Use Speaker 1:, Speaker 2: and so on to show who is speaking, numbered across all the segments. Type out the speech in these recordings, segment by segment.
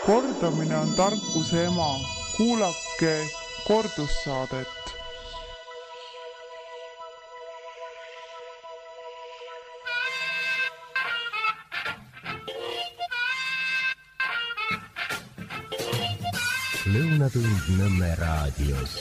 Speaker 1: Kordamine on tarkuse ema. Kuulake kordussaadet.
Speaker 2: Lõunatund Nõmme raadios.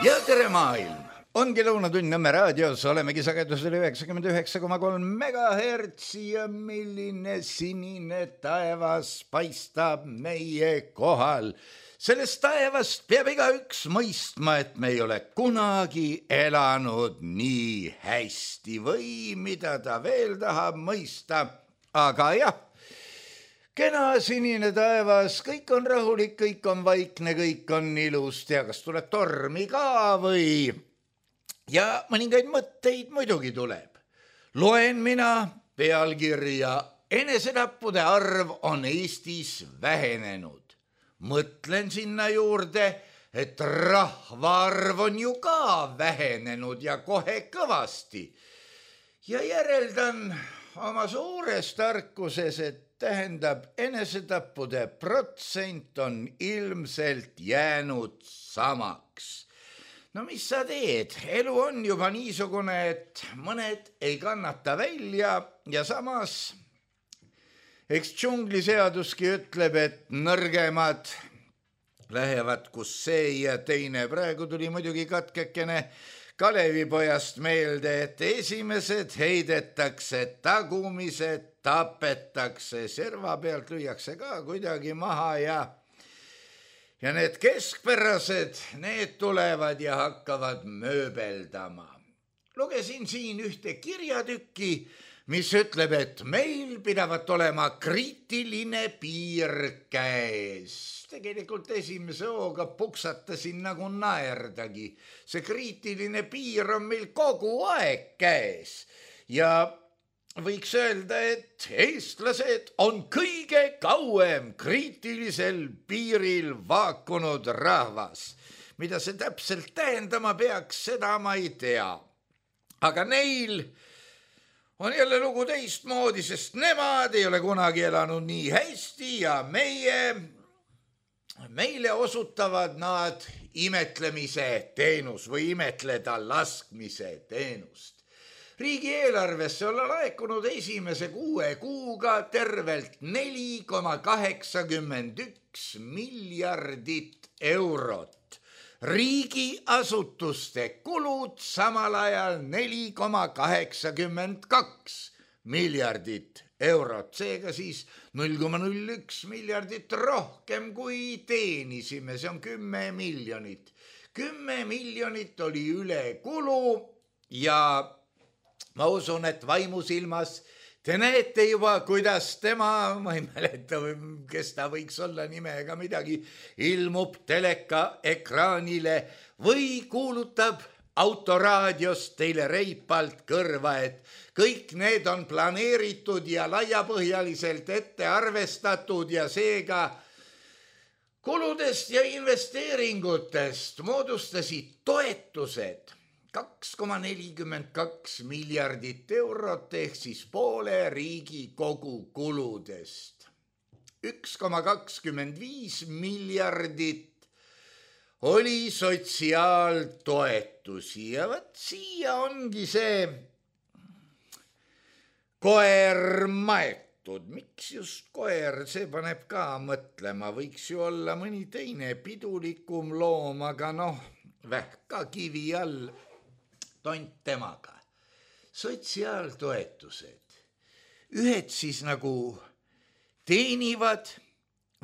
Speaker 3: Ja tere maailm! Ongi Lõunatund Nõmme raadios, olemegi sagedusel 99,3 MHz ja milline sinine taevas paistab meie kohal. Sellest taevast peab igaüks mõistma, et me ei ole kunagi elanud nii hästi või mida ta veel tahab mõista. Aga jah, kena sinine taevas, kõik on rahulik, kõik on vaikne, kõik on ilus, tea, kas tuleb tormi ka või... Ja mõningaid mõtteid muidugi tuleb. Loen mina pealkirja, enesetappude arv on Eestis vähenenud. Mõtlen sinna juurde, et rahvaarv on ju ka vähenenud ja kohe kõvasti. Ja järeldan oma suures tarkuses, et tähendab, enesetappude protsent on ilmselt jäänud samaks. No mis sa teed? Elu on juba niisugune, et mõned ei kannata välja ja samas eks džungliseaduski ütleb, et nõrgemad lähevad kus see ja teine. Praegu tuli muidugi katkekene Kalevipojast meelde, et esimesed heidetakse, tagumised tapetakse, serva pealt lüüakse ka kuidagi maha ja need keskpärased, need tulevad ja hakkavad mööbeldama. Lugesin siin ühte kirjatükki, mis ütleb, et meil pidavat olema kriitiline piir käes. Tegelikult esimese hooga puksatasin nagu naerdagi. See kriitiline piir on meil kogu aeg käes ja võiks öelda, et eestlased on kõige kauem kriitilisel piiril vaakunud rahvas. Mida see täpselt tähendama peaks, seda ma ei tea. Aga neil on jälle lugu teistmoodi, sest nemad ei ole kunagi elanud nii hästi ja meile osutavad nad imetlemise teenus või imetleda laskmise teenust. Riigieelarvesse on laekunud esimese 6 kuuga tervelt 4,81 miljardit eurot. Riigiasutuste kulud samal ajal 4,82 miljardit eurot. Seega siis 0,01 miljardit rohkem kui teenisime. See on 10 miljonit. 10 miljonit oli üle kulu ja ma usun, et vaimusilmas te näete juba, kuidas tema, ma ei mäleta, kes ta võiks olla nimega midagi, ilmub teleka ekraanile või kuulutab autoraadios teile reipalt kõrva, et kõik need on planeeritud ja laiapõhjaliselt ette arvestatud ja seega kuludest ja investeeringutest moodustasid toetused 2,42 miljardit eurot ehk siis poole riigi kogu kuludest. 1,25 miljardit oli sotsiaaltoetusi ja võt siia ongi see koer maetud. Miks just koer, see paneb ka mõtlema, võiks ju olla mõni teine pidulikum loom, aga vähka kivi all tont temaga. Sotsiaaltoetused. Ühed siis nagu teenivad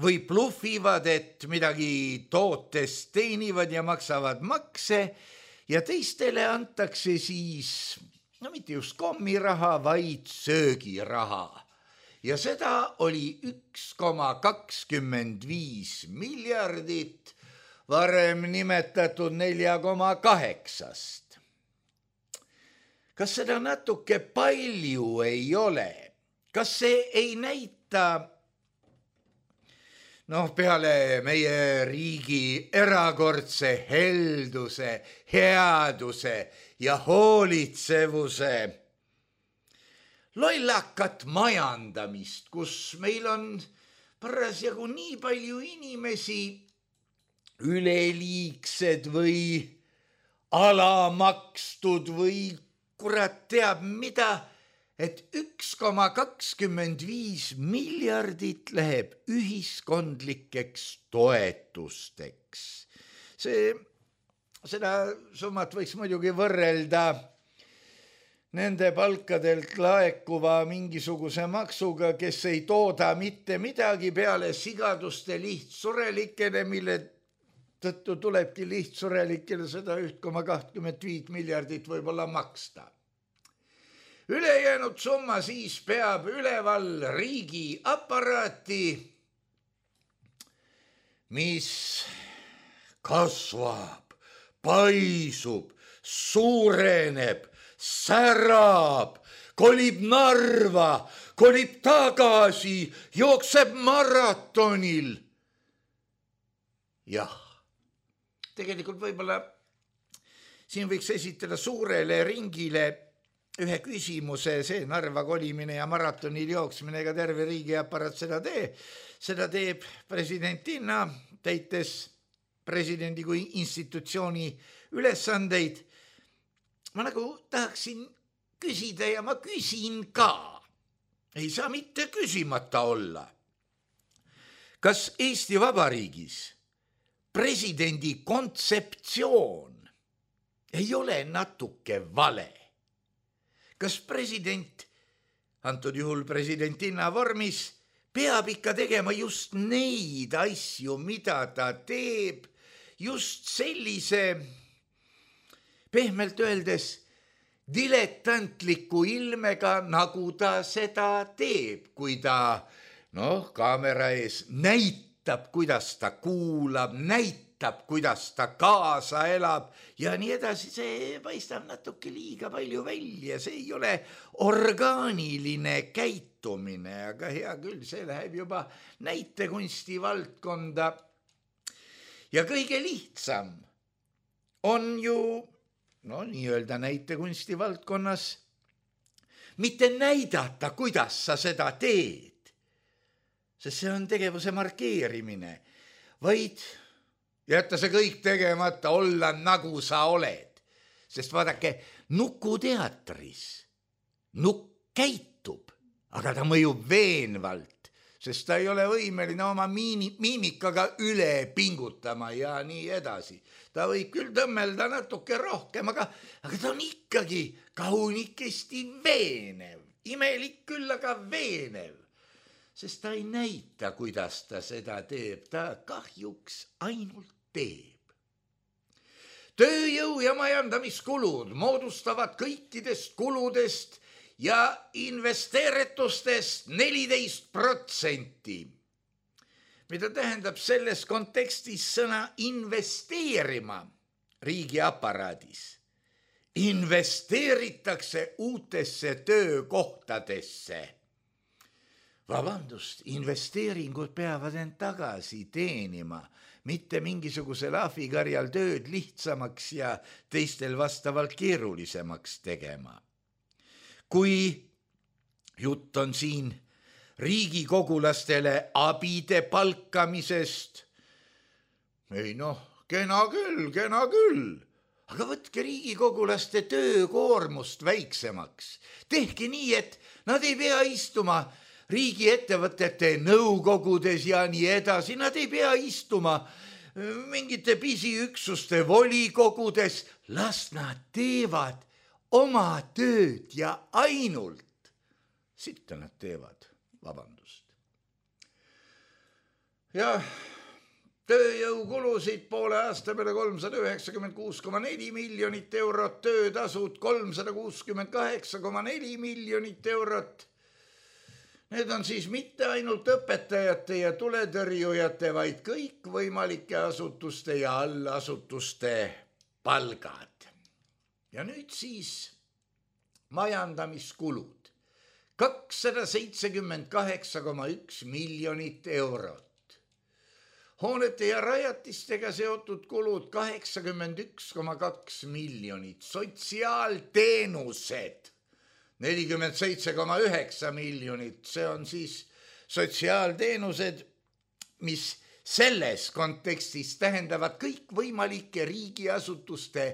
Speaker 3: või bluffivad, et midagi tootest teenivad ja maksavad makse ja teistele antakse siis, mitte just kommiraha, vaid söögiraha. Ja seda oli 1,25 miljardit, varem nimetatud 4,8. Kas seda natuke palju ei ole? Kas see ei näita, peale meie riigi erakordse helduse, headuse ja hoolitsevuse lollakat majandamist, kus meil on parasjagu nii palju inimesi, üleliigsed või alamakstud või kurat teab mida, et 1,25 miljardit läheb ühiskondlikeks toetusteks. Seda summat võiks muidugi võrrelda nende palkadelt laekuva mingisuguse maksuga, kes ei tooda mitte midagi peale sigaduste lihtsurelikele, mille tõttu tulebki lihtsurelikele seda 1,25 miljardit võib-olla maksta. Ülejäänud summa siis peab üleval riigi aparaati, mis kasvab, paisub, suureneb, särab, kolib Narva, kolib tagasi, jookseb maratonil. Jah, tegelikult võib-olla siin võiks esitada suurele ringile ühe küsimuse, see Narva kolimine ja maratonil jooksmine, ega terve riigiaparaat seda teeb presidentina, täites presidendi kui institutsiooni ülesandeid. Ma nagu tahaksin küsida ja ma küsin ka. Ei saa mitte küsimata olla. Kas Eesti Vabariigis presidendi kontseptsioon ei ole natuke vale? Kas president, antud juhul presidentina vormis, peab ikka tegema just neid asju, mida ta teeb, just sellise, pehmelt öeldes, diletantliku ilmega, nagu ta seda teeb, kui ta kaamera ees näitab, kuidas ta kuulab, näitab, kuidas ta kaasa elab ja nii edasi. See paistab natuke liiga palju välja, see ei ole orgaaniline käitumine, aga hea küll, see läheb juba näitekunsti valdkonda. Ja kõige lihtsam on ju, nii-öelda näitekunsti valdkonnas, mitte näidata, kuidas sa seda teed, sest see on tegevuse markeerimine, vaid jätta see kõik tegemata, olla nagu sa oled. Sest vaadake, nukuteatris nukk käitub, aga ta mõjub veenvalt, sest ta ei ole võimeline oma miimikaga üle pingutama ja nii edasi. Ta võib küll tõmmelda natuke rohkem, aga ta on ikkagi kaunikesti veenev. Imelik küll, aga veenev. Sest ta ei näita, kuidas ta seda teeb, ta kahjuks ainult teeb. Tööjõu ja majandamiskulud moodustavad kõikidest kuludest ja investeeritustest 14%. Mida tähendab selles kontekstis sõna investeerima riigiaparaadis? Investeeritakse uutesse töökohtadesse. Vabandust, investeeringud peavad end tagasi teenima, mitte mingisugusel ahvikarjal tööd lihtsamaks ja teistel vastavalt keerulisemaks tegema. Kui jutt on siin riigikogulastele abide palkamisest, kena küll, aga võtke riigikogulaste töökoormust väiksemaks. Tehke nii, et nad ei pea istuma riigiettevõtete nõukogudes ja nii edasi, nad ei pea istuma mingite pisiüksuste volikogudes, las nad teevad oma tööd ja ainult sitta nad teevad, vabandust. Ja tööjõukulusid poole aasta peale 396,4 miljonit eurot, töötasud 368,4 miljonit eurot. Need on siis mitte ainult õpetajate ja tuletõrjujate, vaid kõik võimalike asutuste ja allasutuste palgad. Ja nüüd siis majandamiskulud. 278,1 miljonit eurot. Hoonete ja rajatistega seotud kulud 81,2 miljonit. Sotsiaalteenused 47,9 miljonit, see on siis sotsiaalteenused, mis selles kontekstis tähendavad kõikvõimalike riigiasutuste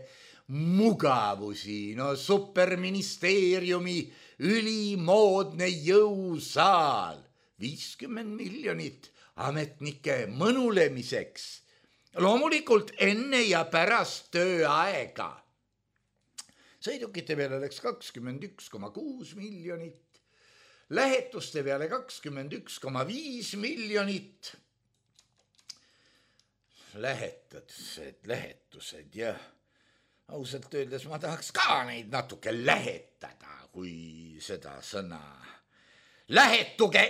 Speaker 3: mugavusi, no superministeeriumi ülimoodne jõusaal, 50 miljonit ametnike mõnulemiseks, loomulikult enne ja pärast tööaega. Sõidukite peale läks 21,6 miljonit, lähetuste peale 21,5 miljonit, lähetused ja ausalt öeldes ma tahaks ka neid natuke lähetada, kui seda sõna lähetuge,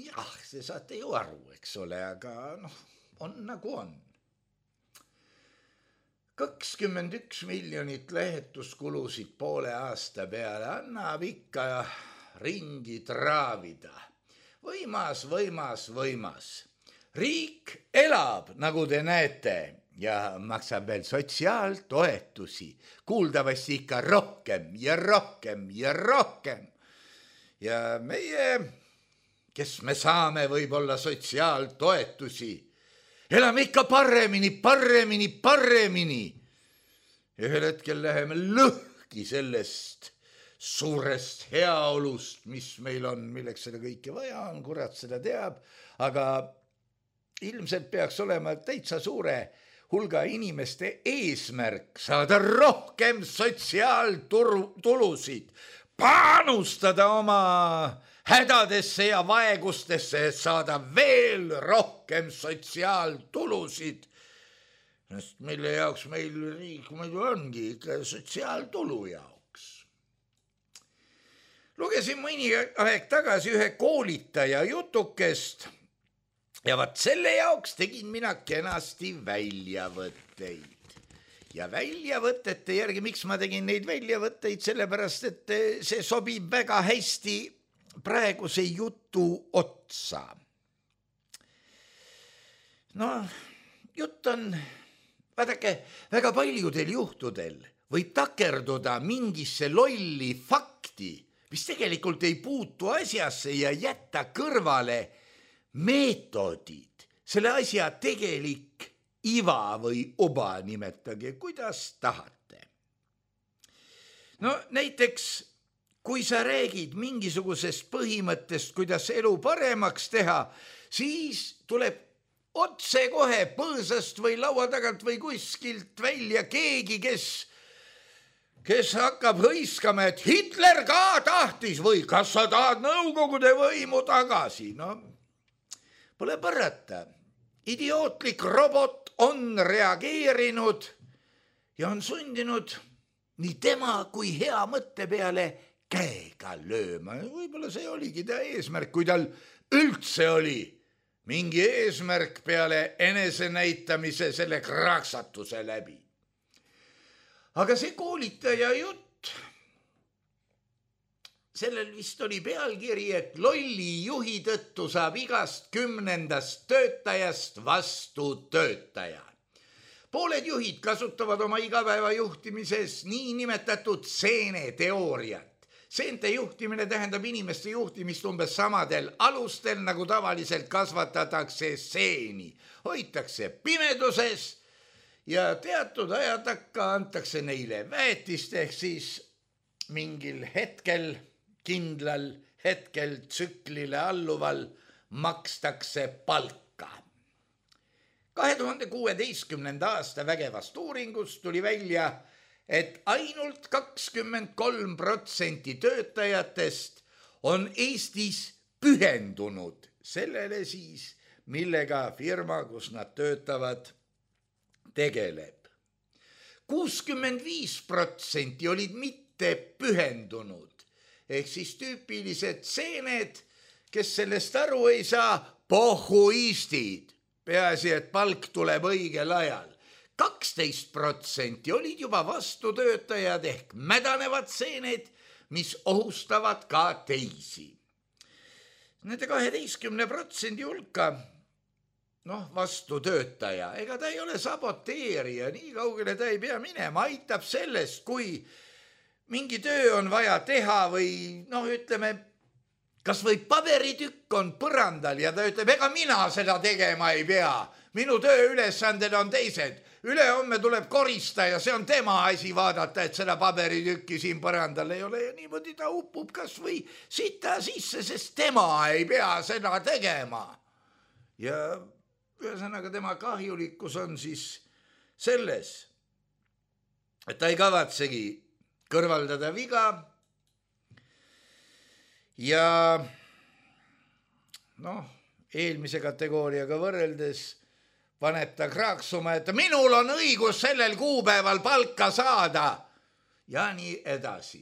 Speaker 3: jah, see saate ju aru, eks ole, aga on nagu on. 21 miljonit lähetuskulusid poole aasta peale annab ikka ringi traavida. Võimas. Riik elab, nagu te näete, ja maksab veel sotsiaaltoetusi, kuuldavasti ikka rohkem. Ja meie, kes me saame võib-olla sotsiaaltoetusi, elame ikka paremini. Ühel hetkel läheme lõhki sellest suurest heaolust, mis meil on, milleks seda kõike vaja on, kurat seda teab, aga ilmselt peaks olema täitsa suure hulga inimeste eesmärk saada rohkem sotsiaaltulusid, panustada oma hädadesse ja vaegustesse, et saada veel rohkem sotsiaaltulusid. Mille jaoks meil riik muidu ongi ikka sotsiaaltulu jaoks. Lugesin mõni aeg tagasi ühe koolitaja jutukest ja vaat selle jaoks tegin mina kenasti väljavõtteid. Ja väljavõtete järgi, miks ma tegin neid väljavõtteid, sellepärast, et see sobib väga hästi praeguse jutu otsa. Jutt on, vaadake, väga paljudel juhtudel võib takerduda mingisse lolli fakti, mis tegelikult ei puutu asjasse ja jätta kõrvale meetodid, selle asja tegelik iva või oba, nimetage, kuidas tahate. Näiteks, kui sa räägid mingisugusest põhimõttest, kuidas elu paremaks teha, siis tuleb otse kohe põõsast või laua tagant või kuskilt välja keegi, kes hakkab hõiskama, et Hitler ka tahtis või kas sa tahad Nõukogude võimu tagasi. Pole parata. Idiootlik robot on reageerinud ja on sundinud nii tema kui hea mõtte peale käega lööma. Võib-olla see oligi ta eesmärk, kui tal üldse oli mingi eesmärk peale enesenäitamise selle kraksatuse läbi. Aga see koolitaja jutt, sellel vist oli pealkiri, et lolli juhi tõttu saab igast 10. töötajast vastu töötaja. Pooled juhid kasutavad oma igapäeva juhtimises niinimetatud seeneteooriat. Seente juhtimine tähendab inimeste juhtimist umbes samadel alustel, nagu tavaliselt kasvatatakse seeni. Hoitakse pimeduses ja teatud aja takka antakse neile väetist, ehk siis mingil hetkel, kindlal hetkel tsüklile alluval makstakse palka. 2016. aasta vägevast uuringust tuli välja, et ainult 23% töötajatest on Eestis pühendunud sellele siis, millega firma, kus nad töötavad, tegeleb. 65% olid mitte pühendunud, ehk siis tüüpilised seened, kes sellest aru ei saa, pohhuistid, peaasi, et palk tuleb õigel ajal. 12% olid juba vastutöötajad ehk mädanevad seened, mis ohustavad ka teisi. Nende 12% hulka, vastutöötaja, ega ta ei ole saboteerija, nii kaugele ta ei pea minema, aitab sellest, kui mingi töö on vaja teha või ütleme, kas või paberitükk on põrandal ja ta ütleb, ega mina seda tegema ei pea. Minu tööülesanded on teised. Ülehomme tuleb koristaja, see on tema asi vaadata, et seda paberitükki siin põrandal ei ole ja niimoodi ta upub kas või sita sisse, sest tema ei pea seda tegema. Ja ühesõnaga tema kahjulikkus on siis selles, et ta ei kavatsegi kõrvaldada viga ja eelmise kategooriaga võrreldes paneb ta kraaksuma, et minul on õigus sellel kuupäeval palka saada ja nii edasi.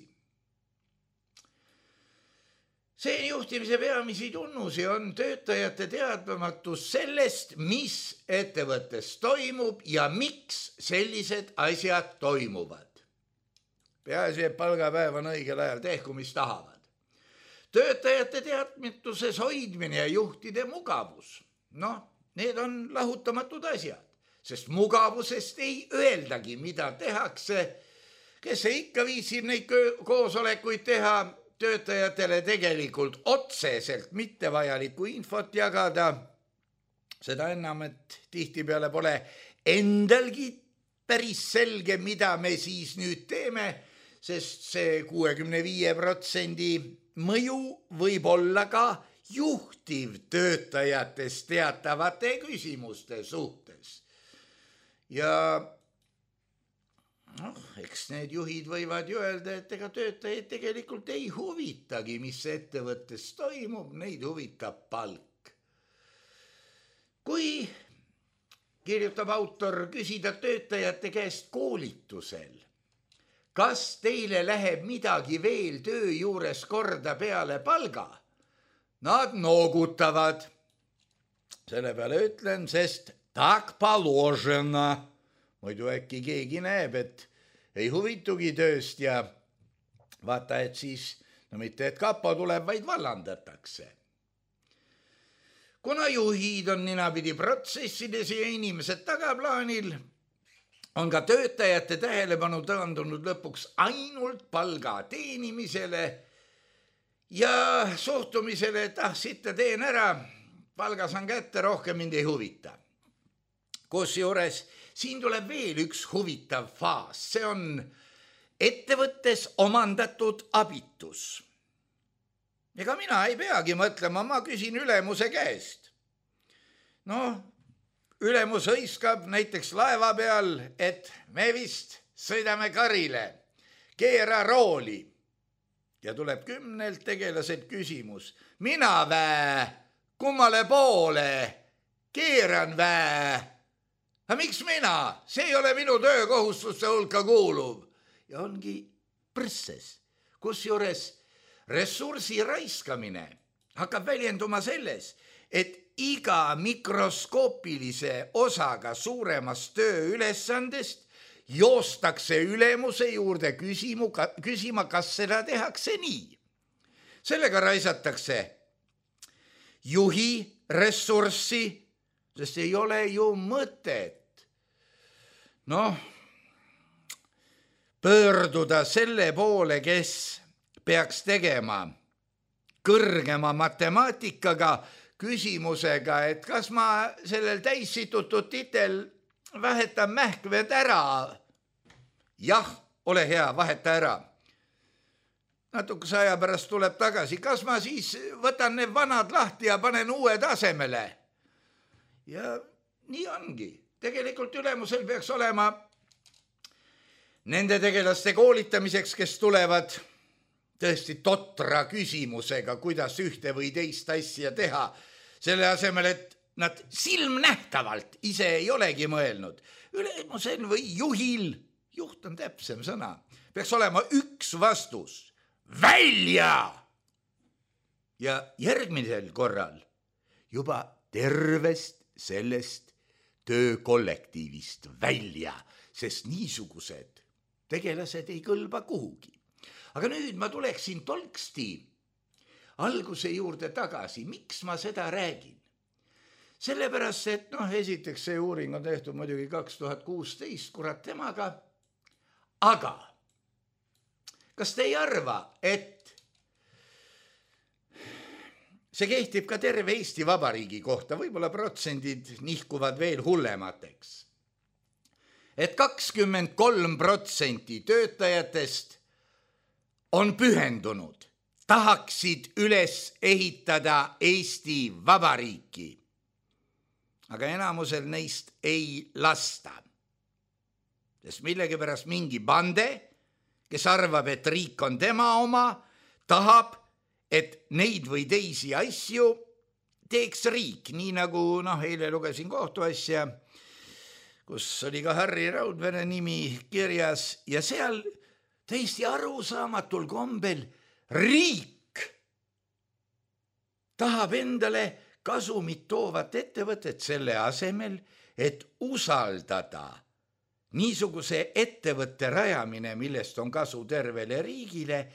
Speaker 3: See juhtimise peamisi tunnusi on töötajate teadmatus sellest, mis ettevõttes toimub ja miks sellised asjad toimuvad. Peaasi, et palgapäev on õigel ajal, tehku mis tahavad. Töötajate teadmatuses hoidmine ja juhtide mugavus. Need on lahutamatud asjad, sest mugavusest ei öeldagi, mida tehakse. Kes ikka viitsib neid koosolekuid teha, töötajatele tegelikult otseselt mittevajalikku infot jagada. Seda enam, et tihtipeale pole endalgi päris selge, mida me siis nüüd teeme, sest see 65% mõju võib olla ka juhtiv töötajatest teatavate küsimuste suhtes. Ja eks need juhid võivad ju öelda, et ega töötajaid tegelikult ei huvitagi, mis ettevõttes toimub, neid huvitab palk. Kui kirjutab autor küsida töötajate käest koolitusel, kas teile läheb midagi veel töö juures korda peale palga? Nad noogutavad. Selle peale ütlen, sest tak paložena. Muidu äkki keegi näeb, et ei huvitugi tööst ja vaata, et siis, mitte et kapo tuleb, vaid vallandatakse. Kuna juhid on ninapidi protsessides ja inimesed tagaplaanil, on ka töötajate tähelepanu taandunud lõpuks ainult palga teenimisele ja suhtumisele, et sitta teen ära, palga saan kätte, rohkem mind ei huvita. Kusjuures siin tuleb veel üks huvitav faas, see on ettevõttes omandatud abitus. Ega mina ei peagi mõtlema, ma küsin ülemuse käest. Ülemus hõiskab näiteks laeva peal, et me vist sõidame karile, keera rooli. Ja tuleb 10 tegelaselt küsimus. Mina vää, kummale poole, keeran vää. Aga miks mina? See ei ole minu töökohustuste hulka kuuluv. Ja ongi prõsses, kusjuures ressursi raiskamine hakkab väljenduma selles, et iga mikroskoopilise osaga suuremast tööülesandest joostakse ülemuse juurde küsima, kas seda tehakse nii. Sellega raisatakse juhi ressurssi, sest ei ole ju mõtet. Pöörduda selle poole, kes peaks tegema kõrgema matemaatikaga küsimusega, et kas ma sellel täissitutud titel vahetan mähkmed ära. Jah, ole hea, vaheta ära. Natukese aja pärast tuleb tagasi. Kas ma siis võtan need vanad lahti ja panen uued asemele? Ja nii ongi. Tegelikult ülemusel peaks olema nende tegelaste koolitamiseks, kes tulevad tõesti totra küsimusega, kuidas ühte või teist asja teha. Selle asemel, et nad silmnähtavalt ise ei olegi mõelnud. Ülemusel või juhil, juht on täpsem sõna, peaks olema üks vastus. Välja! Ja järgmisel korral juba tervest sellest töökollektiivist välja, sest niisugused tegelased ei kõlba kuhugi. Aga nüüd ma tuleksin tolksti alguse juurde tagasi. Miks ma seda räägin? Sellepärast, et esiteks see uuring on tehtud muidugi 2016, kurat temaga. Aga kas te ei arva, et see kehtib ka terve Eesti Vabariigi kohta, võib-olla protsendid nihkuvad veel hullemateks. Et 23% töötajatest on pühendunud, tahaksid üles ehitada Eesti Vabariiki. Aga enamusel neist ei lasta. Sest millegipärast mingi bande, kes arvab, et riik on tema oma, tahab, et neid või teisi asju teeks riik. Nii nagu eile lugesin kohtuasja, kus oli ka Harri Raudvere nimi kirjas ja seal täiesti arusaamatul kombel riik tahab endale kasumit toovat ettevõtet selle asemel, et usaldada niisuguse ettevõtte rajamine, millest on kasu tervele riigile,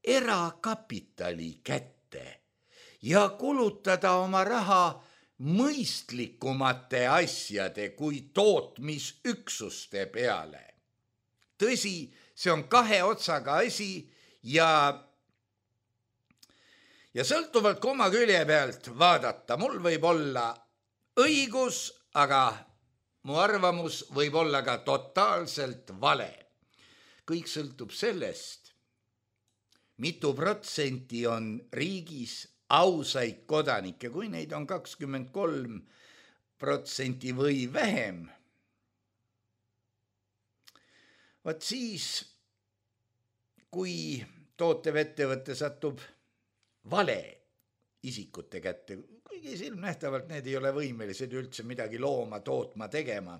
Speaker 3: erakapitali kätte ja kulutada oma raha mõistlikumate asjade kui tootmisüksuste peale. Tõsi, see on kahe otsaga asi ja sõltuvalt oma külje pealt vaadata, mul võib olla õigus, aga mu arvamus võib olla ka totaalselt vale. Kõik sõltub sellest, mitu protsenti on riigis ausaid kodanikke, kui neid on 23% või vähem. Vaat siis, kui tootev ettevõte satub vale isikute kätte, kuigi silmnähtavalt need ei ole võimelised üldse midagi looma, tootma, tegema,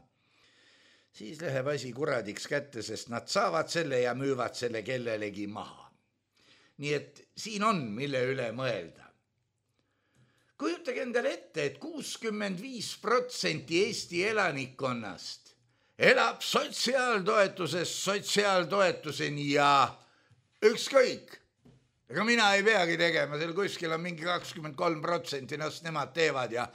Speaker 3: siis läheb asi kuradiks kätte, sest nad saavad selle ja müüvad selle kellelegi maha. Nii et siin on, mille üle mõelda. Kujutage endale ette, et 65% Eesti elanikkonnast elab sotsiaaltoetusest sotsiaaltoetuseni ja ükskõik. Ega mina ei peagi tegema, seal kuskil on mingi 23% nast nemad teevad ja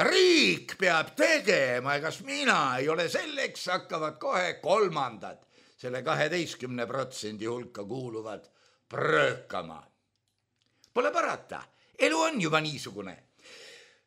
Speaker 3: riik peab tegema, egas mina ei ole selleks, hakkavad kohe kolmandad selle 12% hulka kuuluvad pröökama. Pole parata, elu on juba niisugune.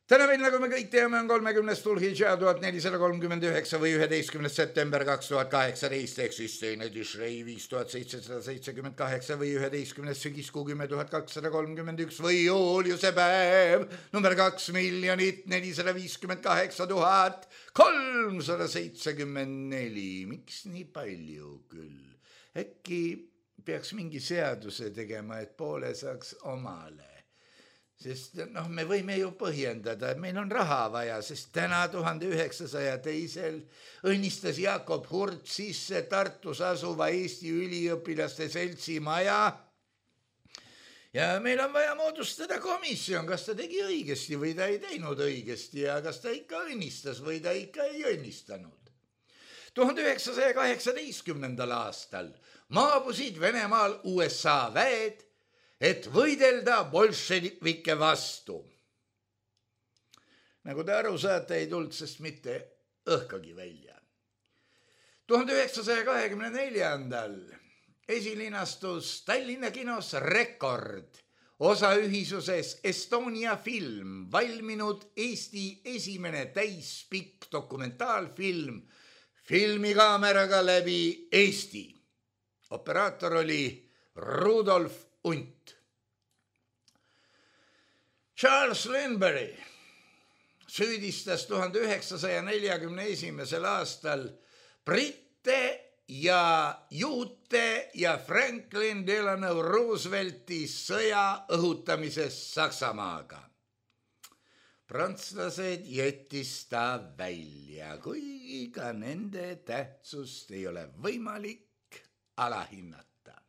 Speaker 3: Täna meil, nagu me kõik teame, on 30. Dhul-Hidža 1439 või 11. september 2018 ehk siis teine Tishrei 5778 või 11. sügiskuu 10.231 või juuliuse päev number 2,458,374. Miks nii palju küll? Äkki peaks mingi seaduse tegema, et poole saaks omale. Sest me võime ju põhjendada, et meil on raha vaja, sest täna 1902 õnnistas Jakob Hurt sisse Tartus asuva Eesti üliõpilaste seltsi maja ja meil on vaja moodustada komisjon, kas ta tegi õigesti või ta ei teinud õigesti ja kas ta ikka õnnistas või ta ikka ei õnnistanud. 1918. aastal maabusid Venemaal USA väed, et võidelda bolševike vastu. Nagu te aru saate, ei tulnud sest mitte õhkagi välja. 1924. esilinastus Tallinna kinos Rekord, osaühisuses Estonia film, valminud Eesti esimene täispikk dokumentaalfilm filmikaameraga läbi Eesti. Operaator oli Rudolf Unt. Charles Lindbergh süüdistas 1941. aastal britte ja juute ja Franklin Delano Roosevelti sõja õhutamises Saksamaaga. Prantslased jättis ta välja, kuigi ka nende tähtsust ei ole võimalik alahinnata.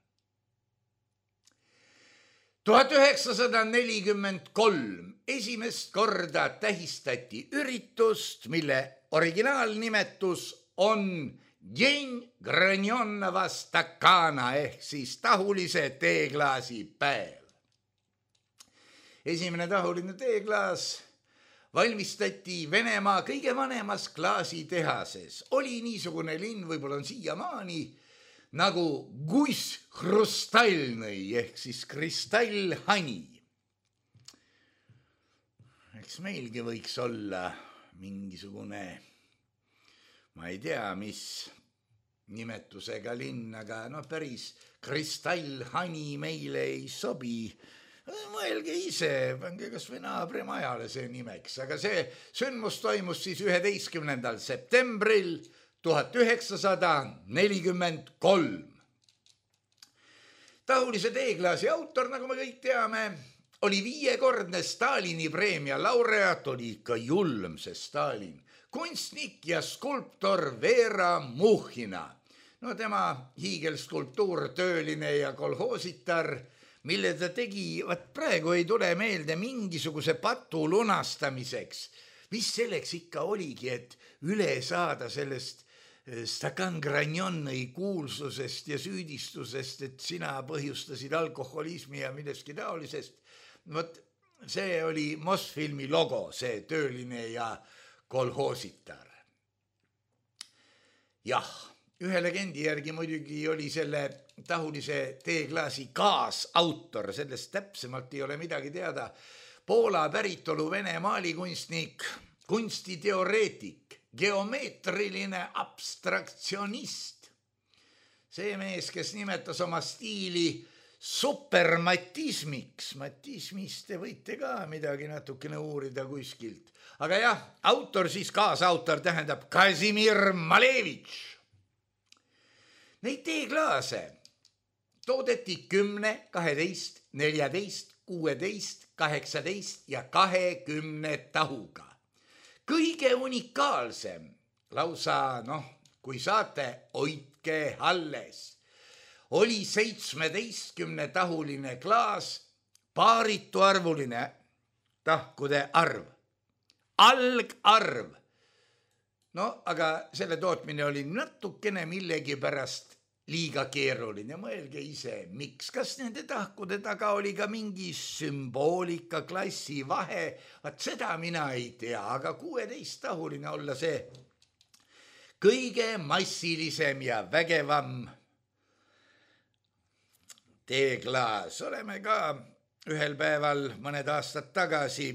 Speaker 3: 1943 esimest korda tähistati üritust, mille originaalnimetus on Dень Granjonova Stakana ehk siis tahulise teeklaasi päev. Esimene tahuline teeklaas valmistati Venemaa kõige vanemas klaasitehases. Oli niisugune linn, võib-olla on siiamaani, nagu Guss Hrustalnõi ehk siis kristallhani. eks meilgi võiks olla mingisugune, ma ei tea, mis nimetusega linn, aga päris kristallhani meile ei sobi. Mõelge ise, pange kas või naabrimajale see nimeks, aga see sündmus toimus siis 11. septembril 1943. Tahulise teeklaasi autor, nagu me kõik teame, oli 5-kordne Stalini preemia laureaat, oli ikka julm see Stalin, kunstnik ja skulptor Vera Muhhina. No tema hiigelskulptuur Tööline ja kolhoositar, mille ta tegi, praegu ei tule meelde mingisuguse patu lunastamiseks. Mis selleks ikka oligi, et üle saada sellest Stakan Granioni kuulsusest ja süüdistusest, et sina põhjustasid alkoholismi ja milleski taolisest. See oli Mosfilmi logo, see Tööline ja kolhoositar. Jah, ühe legendi järgi muidugi oli selle tahulise teeklaasi kaasautor, sellest täpsemalt ei ole midagi teada. Poola päritolu Vene maalikunstnik, kunstiteoreetik, geomeetriline abstraktsionist. See mees, kes nimetas oma stiili supermatismiks. Matismist te võite ka midagi natukene uurida kuskilt. Aga jah, autor siis kaasautor tähendab Kazimir Malevitš. Neid teeklaase toodeti 10, 12, 14, 16, 18 ja 20 tahuga. Kõige unikaalsem, lausa kui saate, hoidke alles, oli 17-tahuline klaas, paarituarvuline tahkude arv, algarv. Aga selle tootmine oli natukene millegi pärast liiga keeruline. Mõelge ise, miks? Kas nende tahkude taga oli ka mingi sümboolika, klassi vahe? Seda mina ei tea, aga 16-tahuline olla see kõige massilisem ja vägevam teeklaas. Oleme ka ühel päeval mõned aastad tagasi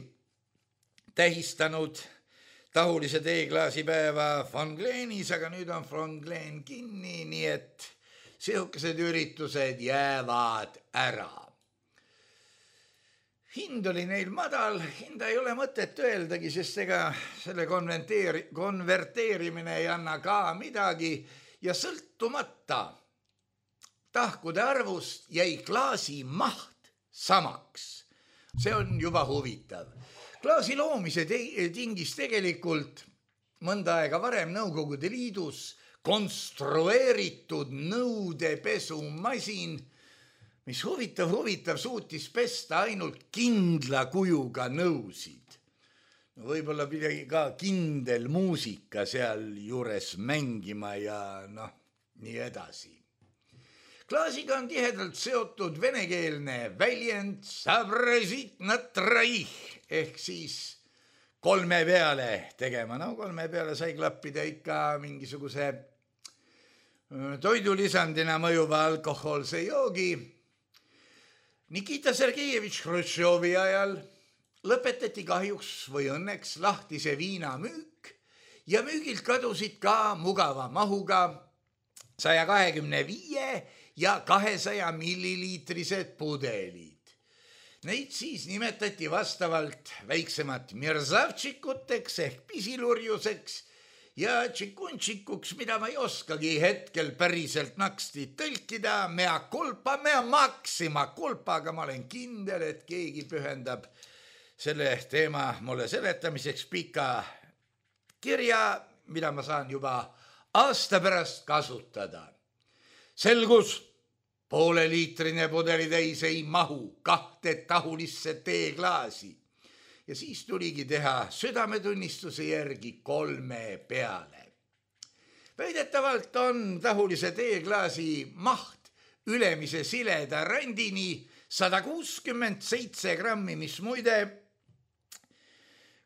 Speaker 3: tähistanud tahulise teeklaasi päeva Fonglenis, aga nüüd on Fonglen kinni, nii et sihukesed üritused jäävad ära. Hind oli neil madal, hinda ei ole mõtet öeldagi, sest ega selle konverteerimine ei anna ka midagi ja sõltumata tahkude arvust jäi klaasi maht samaks. See on juba huvitav. Klaasi loomise tingis tegelikult mõnda aega varem Nõukogude Liidus konstrueeritud nõudepesumasin, mis huvitav suutis pesta ainult kindla kujuga nõusid. Võib-olla pidagi ka kindel muusika seal juures mängima ja nii edasi. Klaasiga on tihedalt seotud venekeelne väljend sabrezit na traih ehk siis 3 peale tegema. 3 peale sai klappida ikka mingisuguse toidulisandina mõjuva alkohoolse joogi. Nikita Sergejevitš Hruštšovi ajal lõpetati kahjuks või õnneks lahtise viina müük ja müügilt kadusid ka mugava mahuga 125 ja 200 milliliitrised pudelid. Neid siis nimetati vastavalt väiksemat mirzavtšikuteks ehk pisilurjuseks ja tšikunčikuks, mida ma ei oskagi hetkel päriselt naksti tõlkida, mea culpa, aga ma olen kindel, et keegi pühendab selle teema mulle seletamiseks pika kirja, mida ma saan juba aasta pärast kasutada. Selgus, 0,5-liitrine pudelitäis ei mahu 2 tahulisse teeklaasi ja siis tuligi teha südametunnistuse järgi 3 peale. Väidetavalt on tahulise teeklaasi maht ülemise sileda randini 167 grammi, mis muide,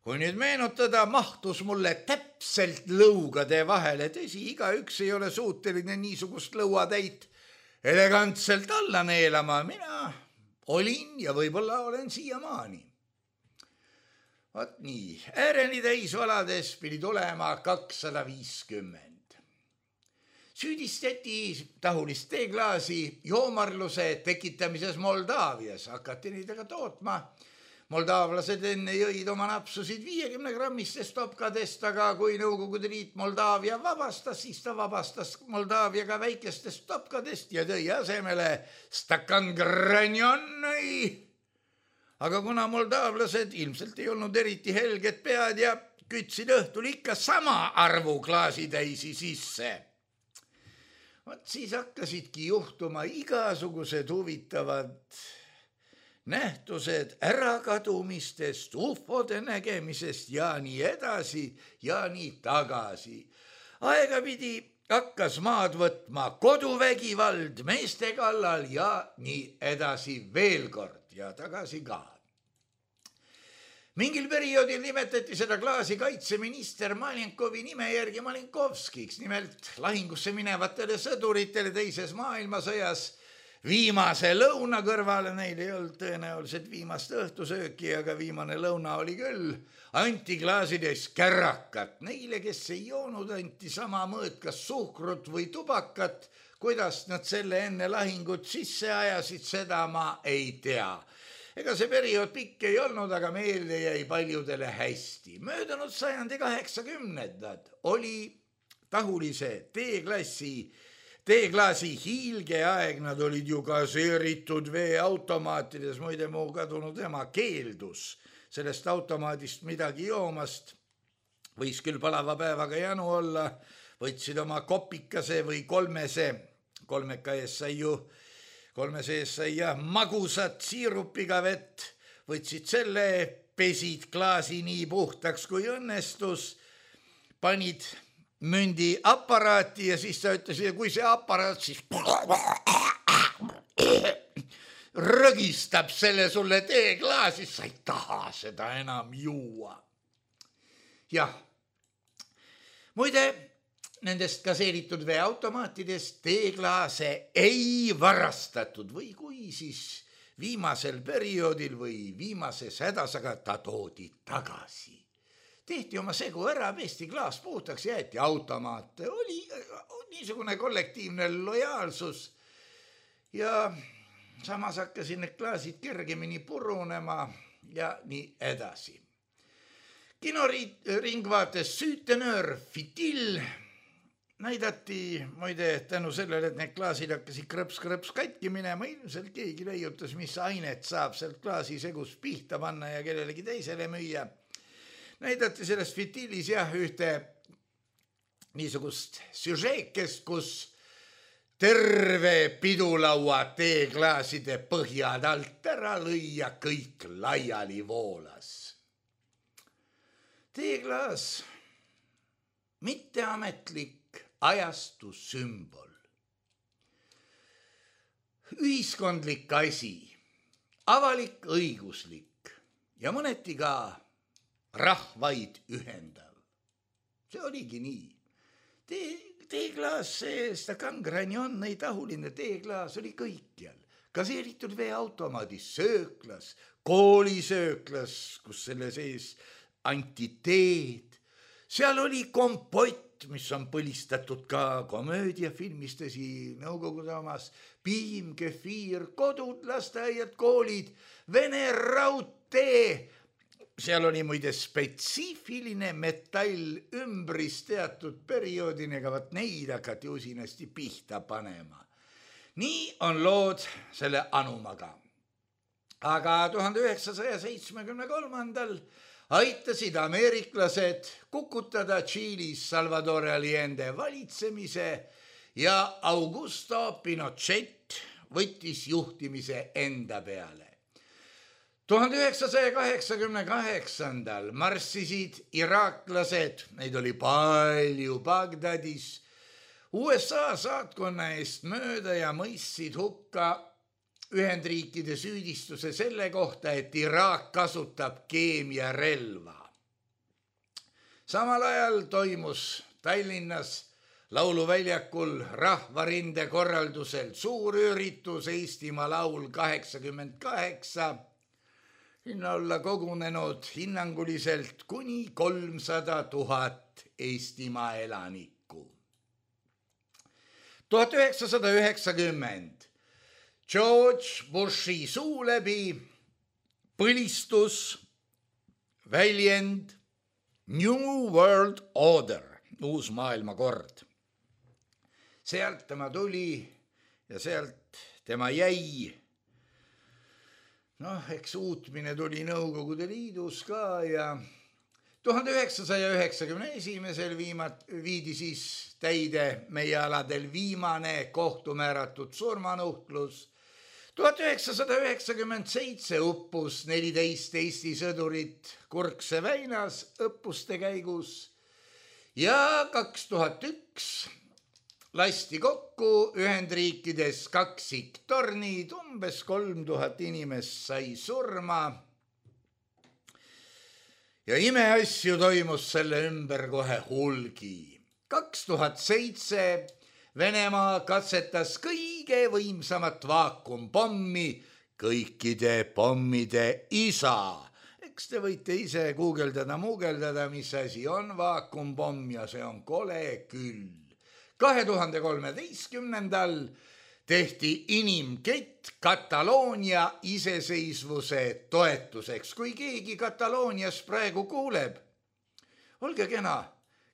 Speaker 3: kui nüüd meenutada, mahtus mulle täpselt lõugade vahele. Tõsi, igaüks ei ole suuteline niisugust lõuatäit elegantselt alla neelama. Mina olin ja võib-olla olen siiamaani. Vot nii, ääreni täisvalades pidi tulema 250. Süüdistati tahulist teeklaasi joomarluse tekitamises Moldaavias. Hakati neid aga tootma. Moldaavlased enne jõid oma napsusid 50-grammiste stopkadest, aga kui Nõukogude Liit Moldaavia vabastas, siis ta vabastas Moldaavia ka väikestest stopkadest ja tõi asemele stakan granjonnoi. Aga kuna moldaavlased ilmselt ei olnud eriti helged pead ja kütsid õhtul ikka sama arvu klaasitäisi sisse, vot siis hakkasidki juhtuma igasugused huvitavad nähtused ärakadumistest, ufode nägemisest ja nii edasi ja nii tagasi. Aegapidi hakkas maad võtma koduvägivald meeste kallal ja nii edasi veel kord ja tagasi ka. Mingil perioodil nimetati seda klaasi kaitseminister Malenkovi nime järgi Malenkovskiks, nimelt lahingusse minevatele sõduritele teises maailmasõjas viimase lõuna kõrvale, neil ei olnud tõenäoliselt viimast õhtusööki, aga viimane lõuna oli küll, anti klaasides kärrakat. Neile, kes ei joonud, anti sama mõõt kas suhkrut või tubakat. Kuidas nad selle enne lahingut sisse ajasid, seda ma ei tea. Ega see periood pikk ei olnud, aga meelde jäi paljudele hästi. Möödunud sajandi 80-ndad oli tahulise teeklaasi hiilgeaeg, nad olid ju gaseeritud veeautomaatides, muide mu kadunud ema keeldus sellest automaadist midagi joomast. Võis küll palava päevaga janu olla, võtsid oma kopikase või kolmese, kolmeka ees sai ju, kolmese ees sai jah magusat siirupiga vett, võtsid selle, pesid klaasi nii puhtaks kui õnnestus, panid mündi aparaati ja siis ta ütles, ja kui see aparaat siis rõgistab selle sulle teeklaasi, sa ei taha seda enam juua. Jah, muide, nendest gaseeritud veeautomaatidest teeklaase ei varastatud või kui siis viimasel perioodil või viimases hädas, aga ta toodi tagasi. Tehti oma segu ära, pesti klaas puhtaks, jäeti automaate. Oli niisugune kollektiivne lojaalsus ja samas hakkasid need klaasid kergemini purunema ja nii edasi. Kinoringvaates Süütenöör Fitil näidati, muide, tänu sellele, et need klaasid hakkasid krõps katki minema, ilmselt keegi leiutas, mis ainet saab sealt klaasi segus pihta panna ja kellelegi teisele müüa. Näidati sellest Fitilis jah ühte niisugust süžeekest, kus terve pidulaua teeklaaside põhjad alt ära lõi ja kõik laiali voolas. Teeklaas, mitteametlik ajastu sümbol. Ühiskondlik asi, avalik õiguslik ja mõneti ka rahvaid ühendav. See oligi nii. Teeklaas, see stakan granjonnoi tahuline teeklaas oli kõikjal. Gaseeritud veeautomaadis, sööklas, koolisööklas, kus selle sees anti teed. Seal oli kompott, mis on põlistatud ka komöödiafilmistesi Nõukogude omas, piim, kefiir, kodud, lasteaiad, koolid, Vene raudtee. Seal oli muide spetsiifiline metall ümbris teatud perioodini, aga võt neid hakati usinasti pihta panema. Nii on lood selle anumaga. Aga 1973. aitasid ameeriklased kukutada Tšiilis Salvador Allende valitsemise ja Augusto Pinochet võttis juhtimise enda peale. 1988. marssisid iraaklased, neid oli palju Bagdadis, USA saatkonna eest mööda ja mõistsid hukka Ühendriikide süüdistuse selle kohta, et Iraak kasutab keemiarelva. Samal ajal toimus Tallinnas Lauluväljakul Rahvarinde korraldusel suur üritus Eestimaa laul 88, sinna olla kogunenud hinnanguliselt kuni 300 000 Eestimaa elanikku. 1990 George Bushi suu läbi põlistus väljend New World Order, uus maailmakord. Sealt tema tuli ja sealt tema jäi. Eks uutmine tuli Nõukogude Liidus ka ja 1991 viidi siis täide meie aladel viimane kohtumääratud surmanuhtlus. 1997 uppus 14 Eesti sõdurit Kurkse väinas õppuste käigus ja 2001 lasti kokku Ühendriikides kaksiktornid, umbes 3000 inimest sai surma. Ja imeasju toimus selle ümber kohe hulgi. 2007 Venemaa katsetas kõige võimsamat vaakumpommi, kõikide pommide isa. Eks te võite ise guugeldada, mis asi on vaakumpomm ja see on kole küll. 2013 tehti inimkett Kataloonia iseseisvuse toetuseks. Kui keegi Kataloonias praegu kuuleb, olge kena,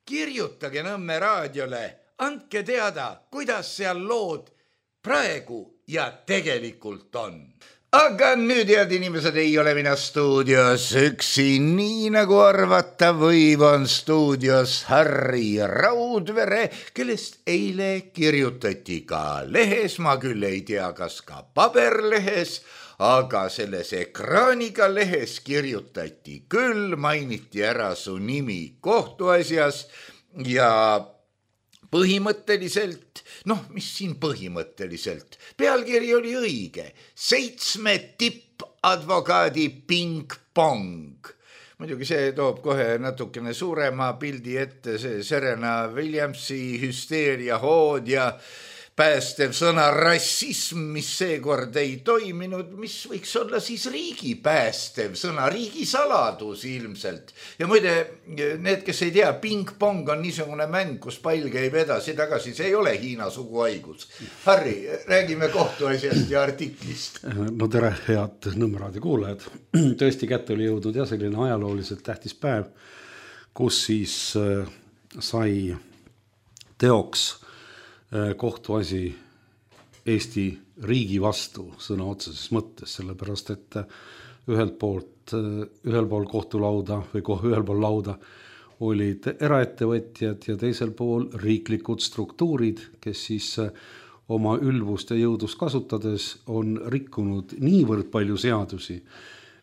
Speaker 3: kirjutage Nõmme raadiole, andke teada, kuidas seal lood praegu ja tegelikult on. Aga nüüd, head inimesed, ei ole mina stuudios üksi, nii nagu arvata võib, on stuudios Harri Raudvere, kellest eile kirjutati ka lehes, ma küll ei tea, kas ka paberlehes, aga selles ekraaniga lehes kirjutati küll, mainiti ära su nimi kohtuasjas ja põhimõtteliselt, mis siin põhimõtteliselt, pealkiri oli õige, 7 tippadvokaadi ping-pong. Muidugi see toob kohe natukene suurema pildi ette, see Serena Williamsi hüsteeria hood ja päästev sõna rassism, mis seekord ei toiminud, mis võiks olla siis riigi päästev sõna, riigi saladus ilmselt. Ja muide, need, kes ei tea, ping-pong on niisugune mäng, kus pall käib edasi-tagasi, see ei ole Hiina suguhaigus. Harri, räägime kohtuasjast ja artiklist.
Speaker 4: No tere, head Nõmme raadio kuulajad. Tõesti kätte oli jõudnud ja selline ajalooliselt tähtis päev, kus siis sai teoks kohtuasi Eesti riigi vastu sõna otseses mõttes, sellepärast et ühel pool kohtulauda või ühel pool lauda olid eraettevõtjad ja teisel pool riiklikud struktuurid, kes siis oma ülbust ja jõudust kasutades on rikkunud niivõrd palju seadusi,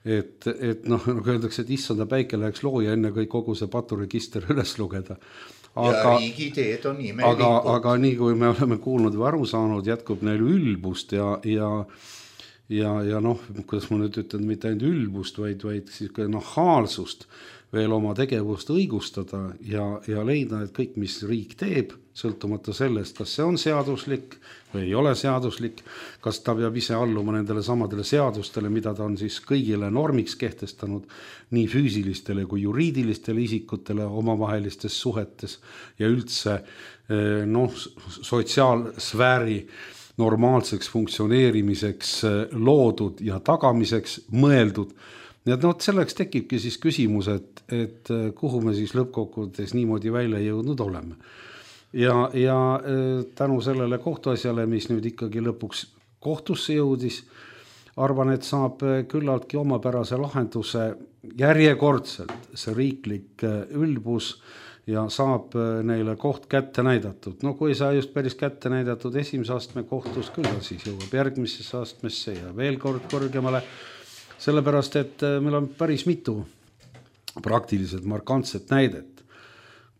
Speaker 4: et nagu öeldakse, et issanda päike läheks looja enne kui kogu see paturegister üles lugeda.
Speaker 3: Ja riigiteed on imelikud.
Speaker 4: Aga nii kui me oleme kuulnud või aru saanud, jätkub neil ülbust ja kuidas ma nüüd ütlen, mitte ainult ülbust, vaid siis nahaalsust veel oma tegevust õigustada ja leida, et kõik, mis riik teeb, sõltumata sellest, kas see on seaduslik või ei ole seaduslik, kas ta peab ise alluma nendele samadele seadustele, mida ta on siis kõigile normiks kehtestanud, nii füüsilistele kui juriidilistele isikutele omavahelistes suhetes ja üldse sotsiaalsfääri normaalseks funktsioneerimiseks loodud ja tagamiseks mõeldud. Ja selleks tekibki siis küsimus, et kuhu me siis lõppkokkuvõttes niimoodi välja jõudnud oleme. Ja tänu sellele kohtuasjale, mis nüüd ikkagi lõpuks kohtusse jõudis, arvan, et saab küllaltki omapärase lahenduse järjekordselt see riiklik ülbus ja saab neile koht kätte näidatud. No kui ei saa just päris kätte näidatud esimese astme kohtus, küll siis jõuab järgmisesse astmesse ja veel kord kõrgemale. Sellepärast, et meil on päris mitu praktiliselt markantset näidet,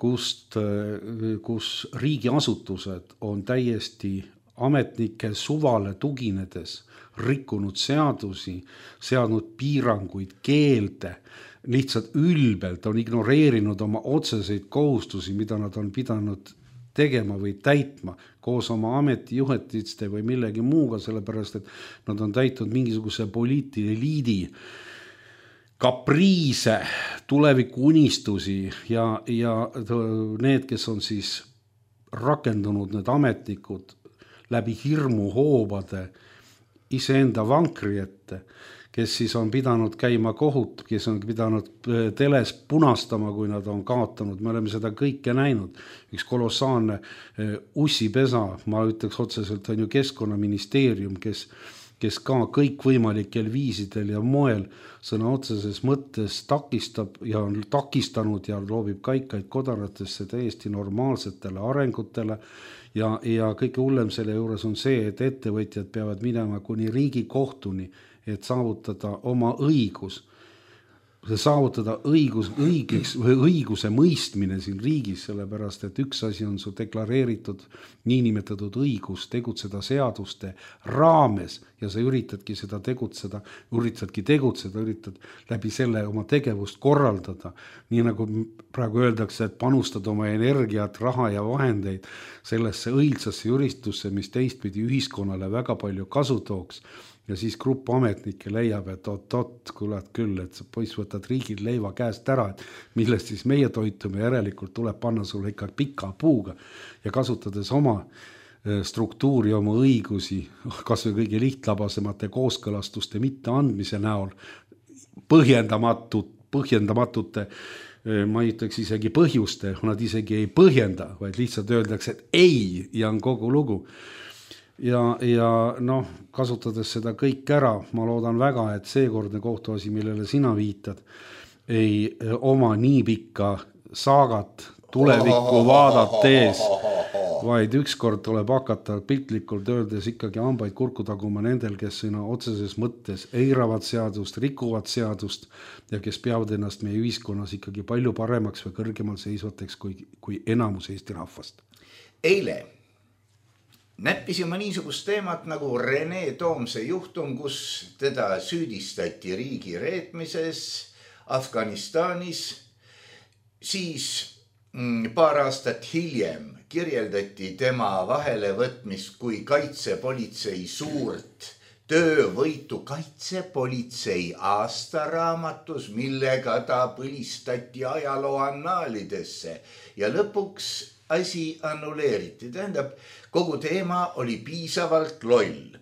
Speaker 4: kus riigiasutused on täiesti ametnike suvale tuginedes rikkunud seadusi, seadnud piiranguid, keelde, lihtsalt ülbelt on ignoreerinud oma otseseid kohustusi, mida nad on pidanud tegema või täitma koos oma ametijuhetiste või millegi muuga, sellepärast, et nad on täitnud mingisuguse poliitilise eliidi kapriise, tulevikuunistusi ja need, kes on siis rakendunud, need ametnikud läbi hirmuhoobade iseenda vankri ette, kes siis on pidanud käima kohut, kes on pidanud teles punastama, kui nad on kaotanud. Me oleme seda kõike näinud. Üks kolossaalne ussipesa, ma ütleks otseselt, on ju Keskkonnaministeerium, kes ka kõikvõimalikel viisidel ja moel sõna otseses mõttes takistab ja on takistanud ja loobib kaikaid kodaratesse täiesti normaalsetele arengutele. Ja kõige hullem selle juures on see, et ettevõtjad peavad minema kuni Riigikohtuni, et saavutada oma õigus, õiguse mõistmine siin riigis, sellepärast, et üks asi on su deklareeritud niinimetatud õigus tegutseda seaduste raames ja sa üritad läbi selle oma tegevust korraldada. Nii nagu praegu öeldakse, et panustad oma energiat, raha ja vahendeid sellesse õilsasse juristusse, mis teistpidi ühiskonnale väga palju kasu tooks. Ja siis grupp ametnikke leiab, et kuulad küll, et sa poiss võtad riigil leiva käest ära, et millest siis meie toitume järelikult tuleb panna sulle ikka pika puuga ja kasutades oma struktuuri, oma õigusi, kas või kõige lihtlabasemate kooskõlastuste mitte andmise näol, põhjendamatute, ma ei ütleks isegi põhjuste, nad isegi ei põhjenda, vaid lihtsalt öeldakse, et ei ja on kogu lugu. Ja kasutades seda kõik ära, ma loodan väga, et seekordne kohtuasi, millele sina viitad, ei oma nii pikka saagat tulevikku vaadates, vaid ükskord tuleb hakata piltlikult öeldes ikkagi hambaid kurku taguma nendel, kes sõna otseses mõttes eiravad seadust, rikuvad seadust ja kes peavad ennast meie ühiskonnas ikkagi palju paremaks või kõrgemal seisvateks kui enamus Eesti rahvast.
Speaker 3: Eile näppisime niisugust teemat nagu Rene Toomse juhtum, kus teda süüdistati riigi reetmises Afganistanis. Siis paar aastat hiljem kirjeldati tema vahelevõtmist kui kaitsepolitsei suurt töövõitu kaitsepolitsei aastaraamatus, millega ta põlistati ajaloo annaalidesse ja lõpuks asi annuleeriti. Tähendab, kogu teema oli piisavalt loll.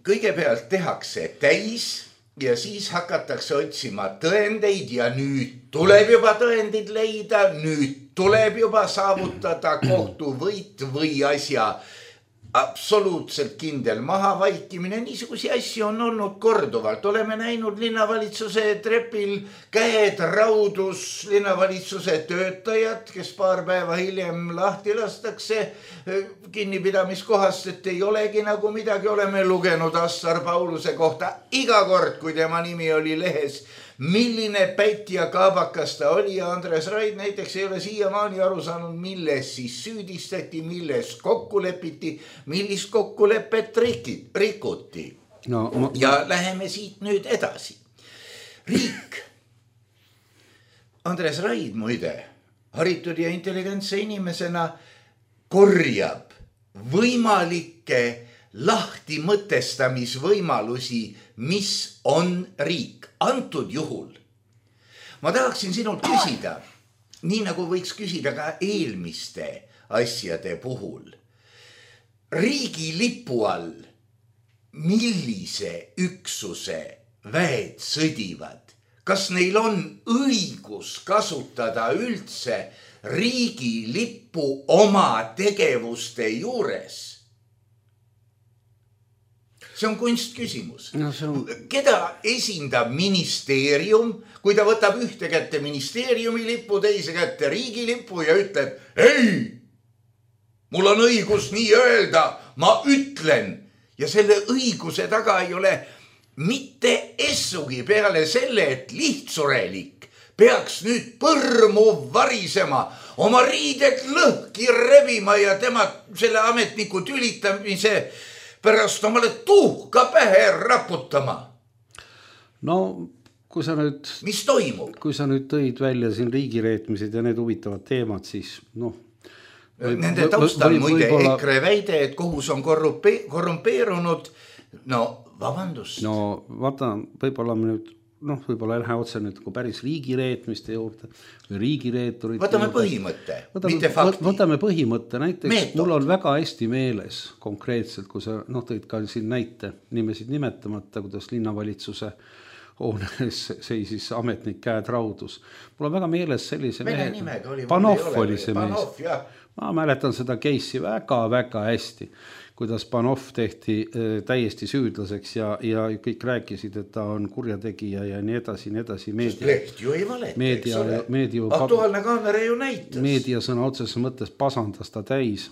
Speaker 3: Kõigepealt tehakse täis ja siis hakatakse otsima tõendeid ja nüüd tuleb juba tõendid leida, nüüd tuleb juba saavutada kohtuvõit või asja absoluutselt kindel mahavaikimine. Niisugusi asju on olnud korduvalt. Oleme näinud linnavalitsuse trepil käed raudus linnavalitsuse töötajad, kes paar päeva hiljem lahti lastakse kinnipidamiskohast, et ei olegi nagu midagi. Oleme lugenud Assar Pauluse kohta iga kord, kui tema nimi oli lehes, milline pätt ja kaabakas ta oli ja Andres Raid näiteks ei ole siiamaani aru saanud, milles siis süüdistati, milles kokku lepiti, millist kokkulepet rikuti. Ja läheme siit nüüd edasi. Riik, Andres Raid muide, haritud ja intelligentse inimesena korjab võimalikke lahti mõtestamisvõimalusi, mis on riik. Antud juhul ma tahaksin sinult küsida, nii nagu võiks küsida ka eelmiste asjade puhul. Riigi lipu all, millise üksuse väed sõdivad? Kas neil on õigus kasutada üldse riigi lippu oma tegevuste juures? See on kunstküsimus. Keda esindab ministeerium, kui ta võtab ühte kätte ministeeriumi lipu, teise kätte riigi lipu ja ütleb, ei, mul on õigus nii öelda, ma ütlen. Ja selle õiguse taga ei ole mitte essugi peale selle, et lihtsurelik peaks nüüd põrmu varisema, oma riided lõhki rebima ja tema selle ametniku tülitamise pärast omale tuhka pähe raputama. No, kui sa nüüd... Mis toimub? Kui sa nüüd tõid välja siin riigireetmised ja need huvitavad teemad, siis Nende taustal muide EKRE väide, et kohus on korrumpeerunud. No, vabandust.
Speaker 4: No, vaata, võib-olla me nüüd noh, võib-olla ei lähe otse nüüd päris riigireetmiste juurde või riigireeturid.
Speaker 3: Võtame põhimõtte, mitte fakti.
Speaker 4: Võtame põhimõtte, näiteks mul on väga hästi meeles konkreetselt, kui sa tõid ka siin näite nimesid nimetamata, kuidas linnavalitsuse hoones seisis ametnik käed raudus. Mul on väga meeles sellise mehe, Panov oli see mees. Ma mäletan seda case'i väga-väga hästi, kuidas Panov tehti täiesti süüdlaseks ja kõik rääkisid, et ta on kurjategija ja nii edasi.
Speaker 3: Leht ju ei valeta, eks ole. Aktuaalne kaamera ju näitas.
Speaker 4: Meedia sõna otseses mõttes pasandas ta täis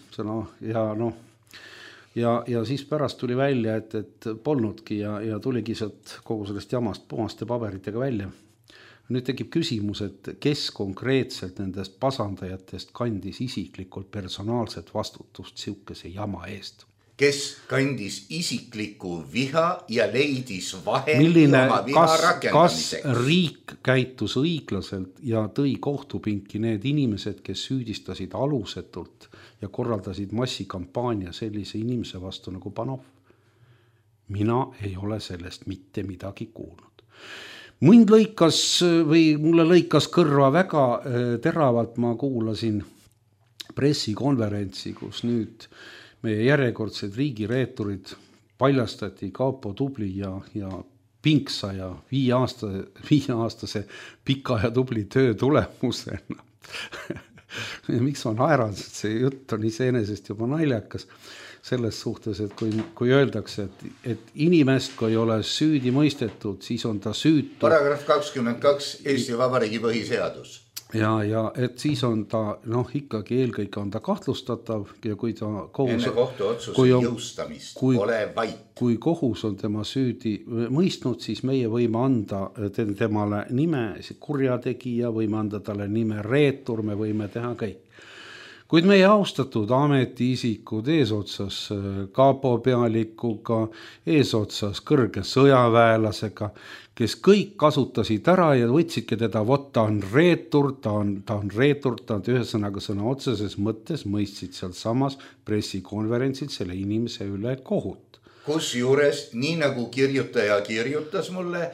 Speaker 4: ja siis pärast tuli välja, et polnudki ja tuligi sealt kogu sellest jamast puhaste paberitega välja. Nüüd tekib küsimus, et kes konkreetselt nendest pasandajatest kandis isiklikult personaalset vastutust siukese jama eest?
Speaker 3: Kes kandis isiklikku viha ja leidis vahendi oma viha rakendamiseks?
Speaker 4: Kas riik käitus õiglaselt ja tõi kohtupinki need inimesed, kes süüdistasid alusetult ja korraldasid massikampaania sellise inimese vastu nagu Panov? Mina ei ole sellest mitte midagi kuulnud. Mulle lõikas kõrva väga teravalt, ma kuulasin pressikonverentsi, kus nüüd meie järjekordsed riigireeturid paljastati Kaapo Tubli ja Pinksa ja 5-aastase pika ja tubli töö tulemusena. Miks ma naeran, see jutt on iseenesest juba naljakas selles suhtes, et kui öeldakse, et inimest, kui ei ole süüdi mõistetud, siis on ta süütu.
Speaker 3: Paragrahv 22 Eesti Vabariigi põhiseadus.
Speaker 4: Ja et siis on ta, ikkagi eelkõige on ta kahtlustatav ja kui ta
Speaker 3: enne kohtuotsuse jõustamist ole vait.
Speaker 4: Kui kohus on tema süüdi mõistnud, siis meie võime anda temale nime kurjategija, võime anda talle nime reetur, me võime teha kõik. Kuid meie austatud ametiisikud eesotsas Kaapo pealikuga, eesotsas kõrge sõjaväelasega, kes kõik kasutasid ära ja võtsidki teda, ta on reetur, ta on ühesõnaga sõna otseses mõttes mõistsid seal samas pressikonverentsid selle inimese üle kohut.
Speaker 3: Kusjuures, nii nagu kirjutaja kirjutas mulle,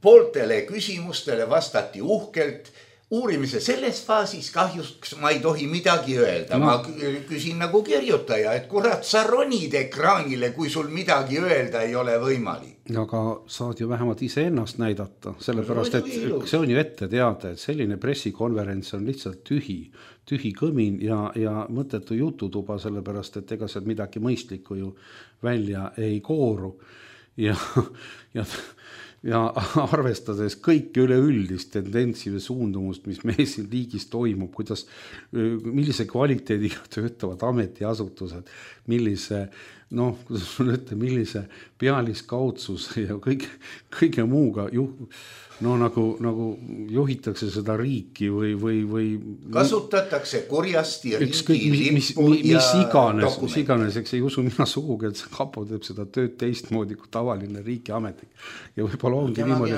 Speaker 3: pooltele küsimustele vastati uhkelt. Uurimise selles faasis kahjuks ma ei tohi midagi öelda. Ma küsin nagu kirjutaja, et kurat, sa ronid ekraanile, kui sul midagi öelda ei ole võimalik.
Speaker 4: Aga saad ju vähemalt ise ennast näidata, sellepärast, et see on ju ette teada, et selline pressikonverents on lihtsalt tühi kõmin ja mõttetu jututuba, sellepärast, et ega seal midagi mõistlikku ju välja ei kooru. Ja arvestades kõike üleüldist tendentsi või suundumust, mis meil siin riigis toimub, millise kvaliteediga töötavad ametiasutused, millise pealiskaudsus ja kõige muuga nagu juhitakse seda riiki või
Speaker 3: kasutatakse kurjasti riigi lippu
Speaker 4: mis iganes, eks ei usu mina sugugi, et Kapo teeb seda tööd teistmoodi kui tavaline riigiametnik. Ja võib-olla ongi niimoodi,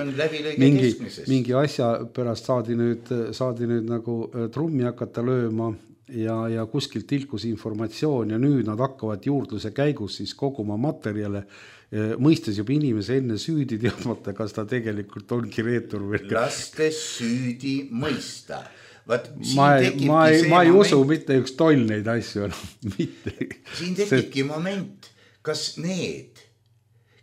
Speaker 4: mingi asja pärast saadi nüüd nagu trummi hakata lööma ja kuskilt tilkus informatsioon ja nüüd nad hakkavad juurdluse käigus siis koguma materjale, mõistes juba inimese enne süüdi teadmata, kas ta tegelikult ongi reetur või.
Speaker 3: Lastes süüdi mõista.
Speaker 4: Ma ei usu mitte üks toll neid asju.
Speaker 3: Siin tekibki moment, kas need,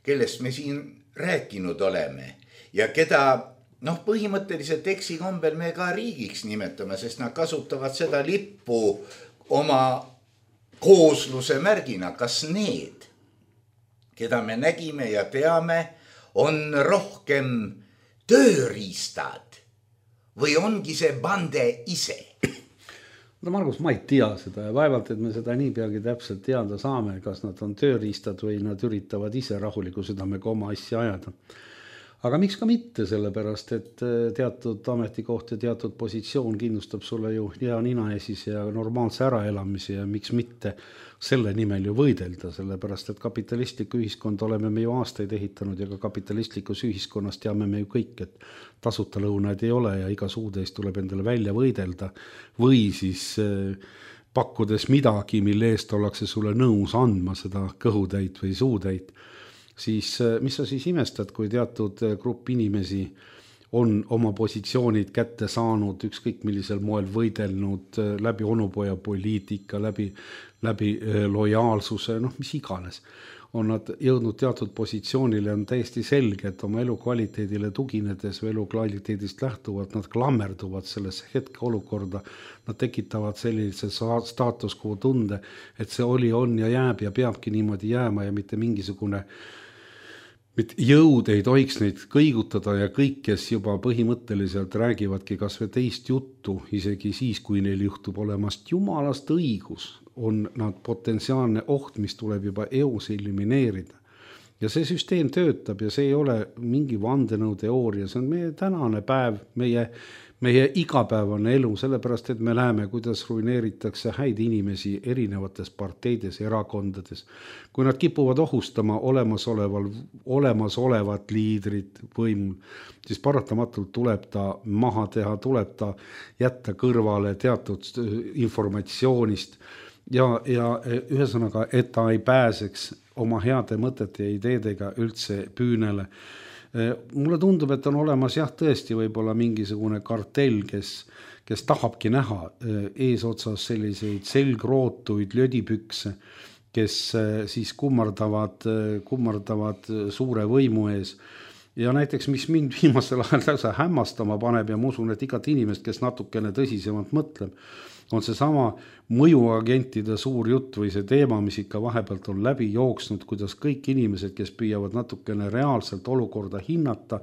Speaker 3: kellest me siin rääkinud oleme ja keda põhimõtteliselt eksikombel me ka riigiks nimetame, sest nad kasutavad seda lippu oma koosluse märgina, kas need, keda me nägime ja teame, on rohkem tööriistad või ongi see bande ise?
Speaker 4: Margus, ma ei tea seda ja vaevalt, et me seda nii peagi täpselt teada saame, kas nad on tööriistad või nad üritavad ise rahuliku südamega oma asja ajada. Aga miks ka mitte, sellepärast, et teatud ametikoht ja teatud positsioon kindlustab sulle ju hea nina esis ja normaalse äraelamise ja miks mitte selle nimel ju võidelda, sellepärast, et kapitalistlikku ühiskonda oleme me ju aastaid ehitanud ja ka kapitalistlikus ühiskonnas teame me ju kõik, et tasuta lõunaid ei ole ja iga suude eest tuleb endale välja võidelda või siis pakkudes midagi, mille eest ollakse sulle nõus andma seda kõhutäit või suutäit. siis mis sa siis imestad, kui teatud grupp inimesi on oma positsioonid kätte saanud, ükskõik millisel moel võidelnud läbi onupoja poliitika, läbi lojaalsuse, mis iganes. On nad jõudnud teatud positsioonile, on täiesti selge, et oma elukvaliteedile tuginedes või elukvaliteedist lähtuvalt nad klammerduvad sellesse hetke olukorda, nad tekitavad sellise staatus quo tunde, et see on ja jääb ja peabki niimoodi jääma ja mitte mingisugune jõud ei tohiks neid kõigutada ja kõik, kes juba põhimõtteliselt räägivadki kas või teist juttu, isegi siis, kui neil juhtub olemast jumalast õigus, on nad potentsiaalne oht, mis tuleb juba eos elimineerida. Ja see süsteem töötab ja see ei ole mingi vandenõuteooria, see on meie tänane päev, meie igapäevane elu, sellepärast, et me näeme, kuidas ruineeritakse häid inimesi erinevates parteides, erakondades. Kui nad kipuvad ohustama olemasolevat liidrit võimul, siis paratamatult tuleb ta maha teha, tuleb ta jätta kõrvale teatud informatsioonist ja ühesõnaga, et ta ei pääseks oma heade mõtete ja ideedega üldse püünele. Mulle tundub, et on olemas tõesti võib-olla mingisugune kartell, kes tahabki näha eesotsas selliseid selgrootuid lödipükse, kes siis kummardavad suure võimu ees. Ja näiteks, mis mind viimasel ajal täitsa hämmastama paneb ja ma usun, et igat inimest, kes natukene tõsisemalt mõtleb, on see sama mõjuagentide suur jutt või see teema, mis ikka vahepealt on läbi jooksnud, kuidas kõik inimesed, kes püüavad natukene reaalselt olukorda hinnata,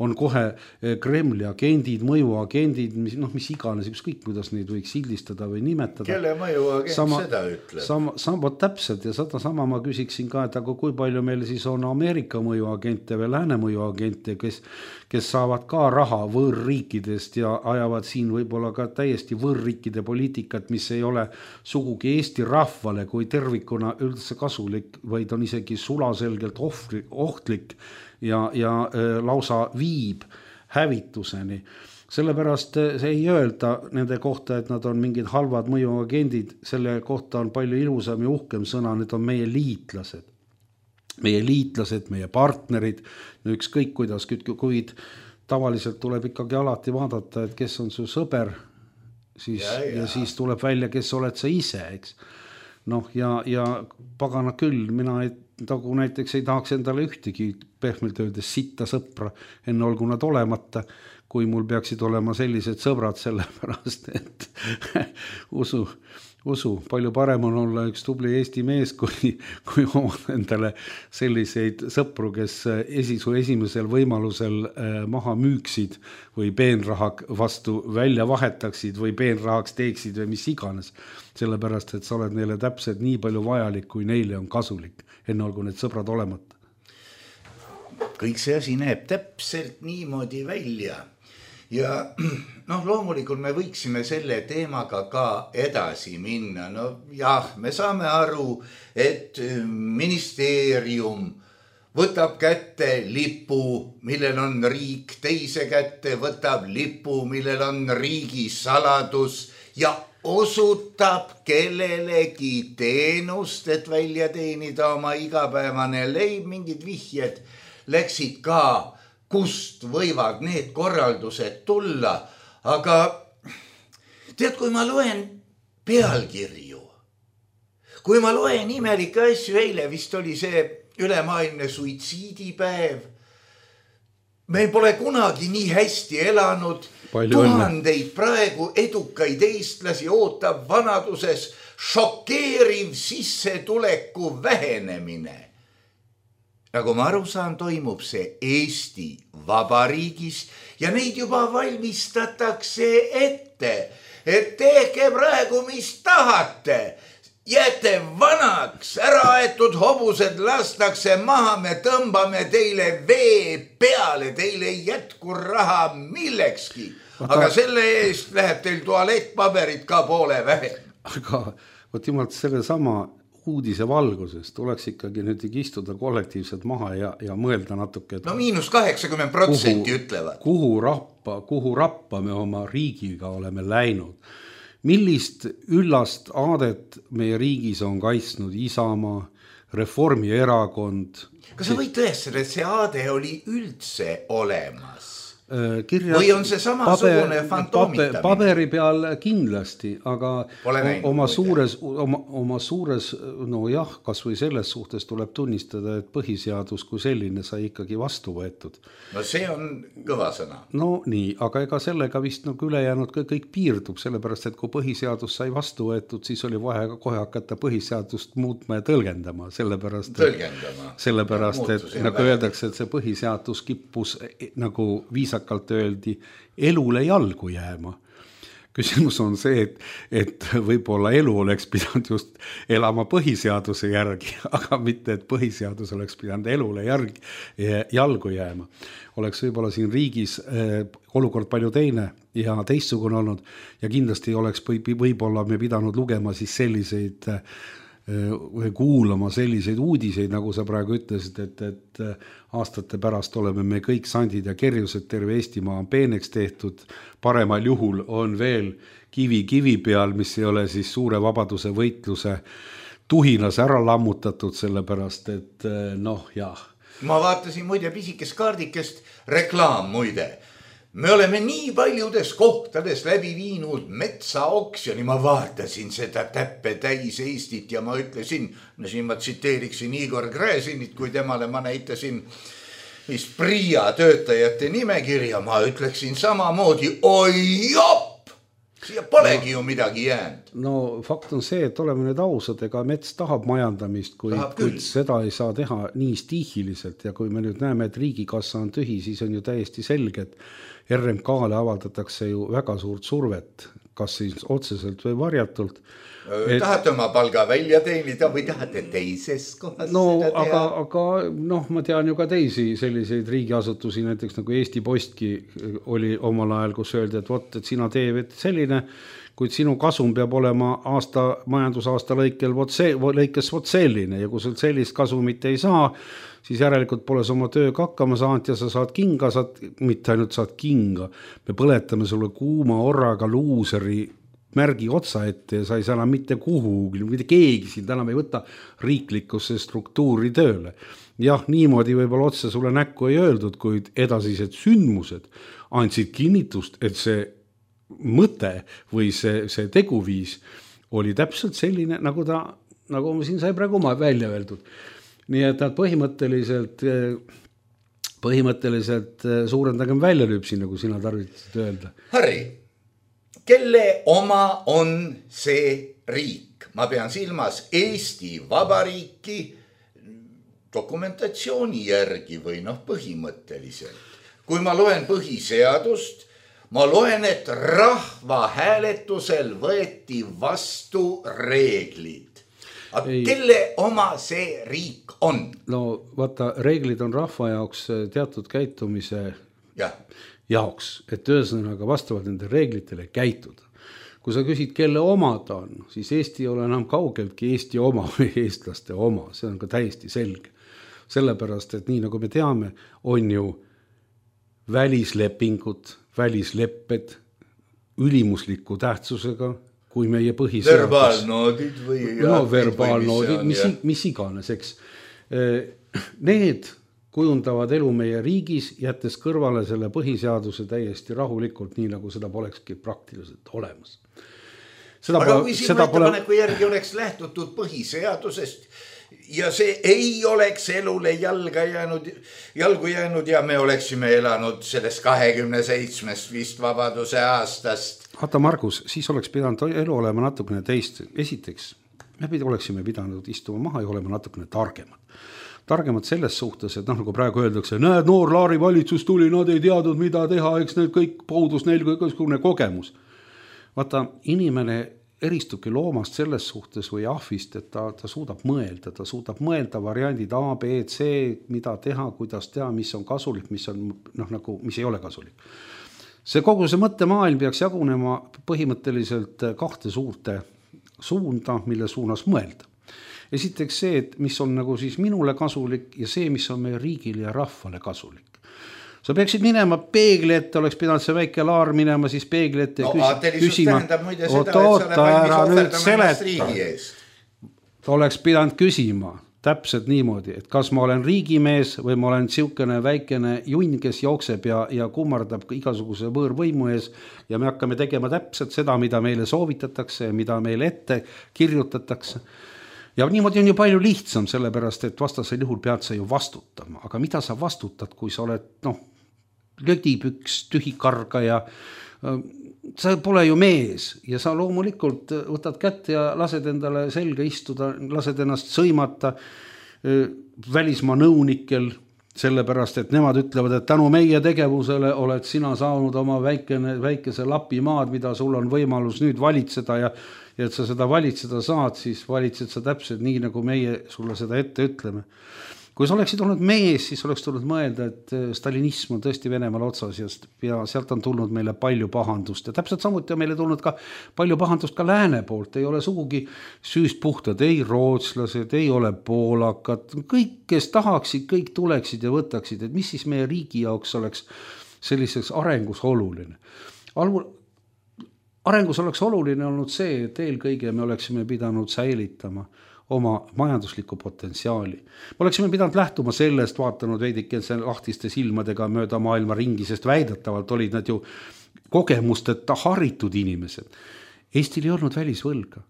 Speaker 4: on kohe Kremli agendid, mõjuagendid, mis iganes, ükskõik kuidas neid võiks sildistada või nimetada.
Speaker 3: Kelle mõjuagent seda ütleb?
Speaker 4: Sama täpselt ja sama ma küsiksin ka, et aga kui palju meil siis on Ameerika mõjuagente või lääne mõjuagente, kes saavad ka raha võõrriikidest ja ajavad siin võib-olla ka täiesti võõrriikide poliitikat, mis ei ole sugugi Eesti rahvale kui tervikuna üldse kasulik, vaid on isegi sulaselgelt ohtlik ja lausa viib hävituseni. Sellepärast see ei öelda nende kohta, et nad on mingid halvad mõjuagendid, selle kohta on palju ilusam ja uhkem sõna, need on meie liitlased. Meie liitlased, meie partnerid, ükskõik kuidas, kuid tavaliselt tuleb ikkagi alati vaadata, et kes on su sõber, ja siis tuleb välja, kes oled sa ise, eks. Ja pagana küll, mina nagu näiteks ei tahaks endale ühtegi pehmelt öeldes sitta sõpra, enne olgu nad olemata, kui mul peaksid olema sellised sõbrad, sellepärast, et usu, palju parem on olla üks tubli Eesti mees, kui omad endale selliseid sõpru, kes su esimesel võimalusel maha müüksid või peenraha vastu välja vahetaksid või peenrahaks teeksid või mis iganes. Sellepärast, et sa oled neile täpselt nii palju vajalik, kui neile on kasulik, enne olgu need sõbrad olemata.
Speaker 3: Kõik see asi näeb täpselt niimoodi välja. Ja loomulikult me võiksime selle teemaga ka edasi minna. Me saame aru, et ministeerium võtab kätte lipu, millel on riik, teise kätte võtab lipu, millel on riigi saladus ja osutab kellelegi teenust, et välja teenida oma igapäevane leib, mingid vihjed läksid ka, kust võivad need korraldused tulla, aga tead, kui ma loen pealkirju, kui ma loen imelikke asju, eile vist oli see ülemaailmne suitsiidipäev, meil pole kunagi nii hästi elanud, tuhandeid praegu edukaid eestlasi ootab vanaduses šokeeriv sissetuleku vähenemine. Nagu ma aru saan, toimub see Eesti Vabariigis ja neid juba valmistatakse ette, et tehke praegu, mis tahate. Jääte vanaks, äraaetud hobused lastakse maha, me tõmbame teile vee peale, teile ei jätku raha millekski. Aga selle eest läheb teil tualettpaberit ka poole vähem.
Speaker 4: Aga võt jumalt selle sama uudise valguses tuleks ikkagi nüüd istuda kollektiivselt maha ja mõelda natuke.
Speaker 3: -80% ütlevad.
Speaker 4: Kuhu rappa me oma riigiga oleme läinud. Millist üllast aadet meie riigis on kaitsnud Isamaa, Reformierakond.
Speaker 3: Kas sa võid tõestada, et see aade oli üldse olemas?
Speaker 4: Kirjas,
Speaker 3: või on see samasugune fantoomitamine?
Speaker 4: Paberi peal kindlasti, aga oma suures, no jah, kas või selles suhtes tuleb tunnistada, et põhiseadus kui selline sai ikkagi vastu võetud.
Speaker 3: No see on kõva sõna.
Speaker 4: No nii, aga ega sellega vist nagu ülejäänud kõik piirdub, sellepärast, et kui põhiseadus sai vastu võetud, siis oli vaja kohe hakata põhiseadust muutma ja tõlgendama, sellepärast, et nagu öeldakse, et see põhiseadus kippus nagu viisakalt öeldi elule jalgu jääma. Küsimus on see, et võib-olla elu oleks pidanud just elama põhiseaduse järgi, aga mitte, et põhiseadus oleks pidanud elule jalgu jääma. Oleks võib-olla siin riigis olukord palju teine ja teistsugune olnud ja kindlasti oleks võib-olla me pidanud lugema siis selliseid või kuulama selliseid uudiseid, nagu sa praegu ütlesid, et aastate pärast oleme me kõik sandid ja kerjused, terve Eestimaa on peeneks tehtud, paremal juhul on veel kivi peal, mis ei ole siis suure vabaduse võitluse tuhinas ära lammutatud, sellepärast, et noh, jah.
Speaker 3: Ma vaatasin muide pisikest kaardikest, reklaam muide. Me oleme nii paljudes kohtades läbi viinud metsaoksjoni, ma vaatasin seda täppe täis Eestit ja ma ütlesin, no siin ma tsiteeriksin Igor Gräzinit, kui temale ma näitasin PRIA töötajate nimekirja, ma ütleksin samamoodi, oi jopp, siia polegi ju midagi jäänud.
Speaker 4: No fakt on see, et oleme nüüd ausad, ega mets tahab majandamist, kuid seda ei saa teha nii stiihiliselt ja kui me nüüd näeme, et riigikassa on tühi, siis on ju täiesti selge, et RMK-le avaldatakse ju väga suurt survet, kas siis otseselt või varjatult.
Speaker 3: Tahate oma palga välja teenida või tahate teises kohas seda teha?
Speaker 4: Aga noh, ma tean ju ka teisi selliseid riigiasutusi, näiteks nagu Eesti Postki oli omal ajal, kus öeldi, et sina teed selline, kuid sinu kasum peab olema majandusaasta lõikes selline ja kui sul sellist kasumit ei saa, siis järelikult pole sa oma tööga hakkama saanud ja sa saad kinga, mitte ainult saad kinga, me põletame sulle kuuma orraga luuseri märgi otsa ette ja sa ei saa enam mitte kuhugi, mitte keegi sind enam ei võta riiklikusse struktuuri tööle. Jah, niimoodi võib-olla otse sulle näkku ei öeldud, kuid edasised sündmused andsid kinnitust, et see mõte või see teguviis oli täpselt selline, nagu ma siin sai praegu välja öeldud. Nii et nad põhimõtteliselt suurendagem väljalüpsi, nagu sina tarvitasid öelda.
Speaker 3: Harri, kelle oma on see riik? Ma pean silmas Eesti Vabariiki dokumentatsiooni järgi või põhimõtteliselt. Kui ma loen põhiseadust, ma loen, et rahvahääletusel võeti vastu reeglid. Aga kelle oma see riik on?
Speaker 4: No vaata, reeglid on rahva jaoks teatud käitumise jaoks, et ühesõnaga vastavalt nende reeglitele käituda. Kui sa küsid, kelle oma ta on, siis Eesti ei ole enam kaugeltki Eesti oma või eestlaste oma, see on ka täiesti selge. Sellepärast, et nii nagu me teame, on ju välislepingud, välislepped ülimusliku tähtsusega, kui meie põhiseadus.
Speaker 3: Verbaalnoodid või...
Speaker 4: No verbaalnoodid, mis iganes, eks. Need kujundavad elu meie riigis, jättes kõrvale selle põhiseaduse täiesti rahulikult, nii nagu seda polekski praktiliselt olemas.
Speaker 3: Aga kui sinu ettepaneku järgi oleks lähtutud põhiseadusest ja see ei oleks elule jalgu jäänud ja me oleksime elanud sellest 27 vist vabaduse aastast.
Speaker 4: Vaata Margus, siis oleks pidanud elu olema natukene teist. Esiteks, me oleksime pidanud istuma maha ja olema natukene targemad. Targemad selles suhtes, et nagu praegu öeldakse, näed, noor Laari valitsus tuli, nad ei teadnud, mida teha, eks need kõik puudus neil kõiksugune kogemus. Vaata, inimene eristubki loomast selles suhtes või ahvist, et ta suudab mõelda variandid A, B, C, mida teha, kuidas teha, mis on kasulik, mis ei ole kasulik. Kogu see mõttemaailm peaks jagunema põhimõtteliselt kahte suurte suunda, mille suunas mõelda. Esiteks see, et mis on nagu siis minule kasulik ja see, mis on meie riigile ja rahvale kasulik. Sa peaksid minema peegli ette, oleks pidanud see väike Laar minema siis peegli ette
Speaker 3: küsima.
Speaker 4: Ta oleks pidanud küsima, täpselt niimoodi, et kas ma olen riigimees või ma olen siukene väikene junn, kes jookseb ja kummardab igasuguse võõrvõimu ees ja me hakkame tegema täpselt seda, mida meile soovitatakse ja mida meile ette kirjutatakse. Ja niimoodi on ju palju lihtsam, sellepärast, et vastasel juhul pead sa ju vastutama, aga mida sa vastutad, kui sa oled lödipüks, tühikarga ja sa pole ju mees ja sa loomulikult võtad kätte ja lased endale selga istuda, lased ennast sõimata välismaa nõunikel, sellepärast, et nemad ütlevad, et tänu meie tegevusele oled sina saanud oma väikese lapimaad, mida sul on võimalus nüüd valitseda ja et sa seda valitseda saad, siis valitsed sa täpselt nii, nagu meie sulle seda ette ütleme. Kui sa oleksid olnud mees, siis oleks tulnud mõelda, et stalinism on tõesti Venemaal otsas ja sealt on tulnud meile palju pahandust ja täpselt samuti on meile tulnud ka palju pahandust ka lääne poolt, ei ole sugugi süüst puhtad, ei rootslased, ei ole poolakad, kõik, kes tahaksid, kõik tuleksid ja võtaksid, et mis siis meie riigi jaoks oleks selliseks arengus oluline. Arengus oleks oluline olnud see, et eelkõige me oleksime pidanud säilitama oma majanduslikku potentsiaali. Me oleksime pidanud lähtuma sellest, vaatanud veidike lahtiste silmadega mööda maailma ringi, sest väidetavalt olid nad ju kogemusteta haritud inimesed. Eestil ei olnud välisvõlga.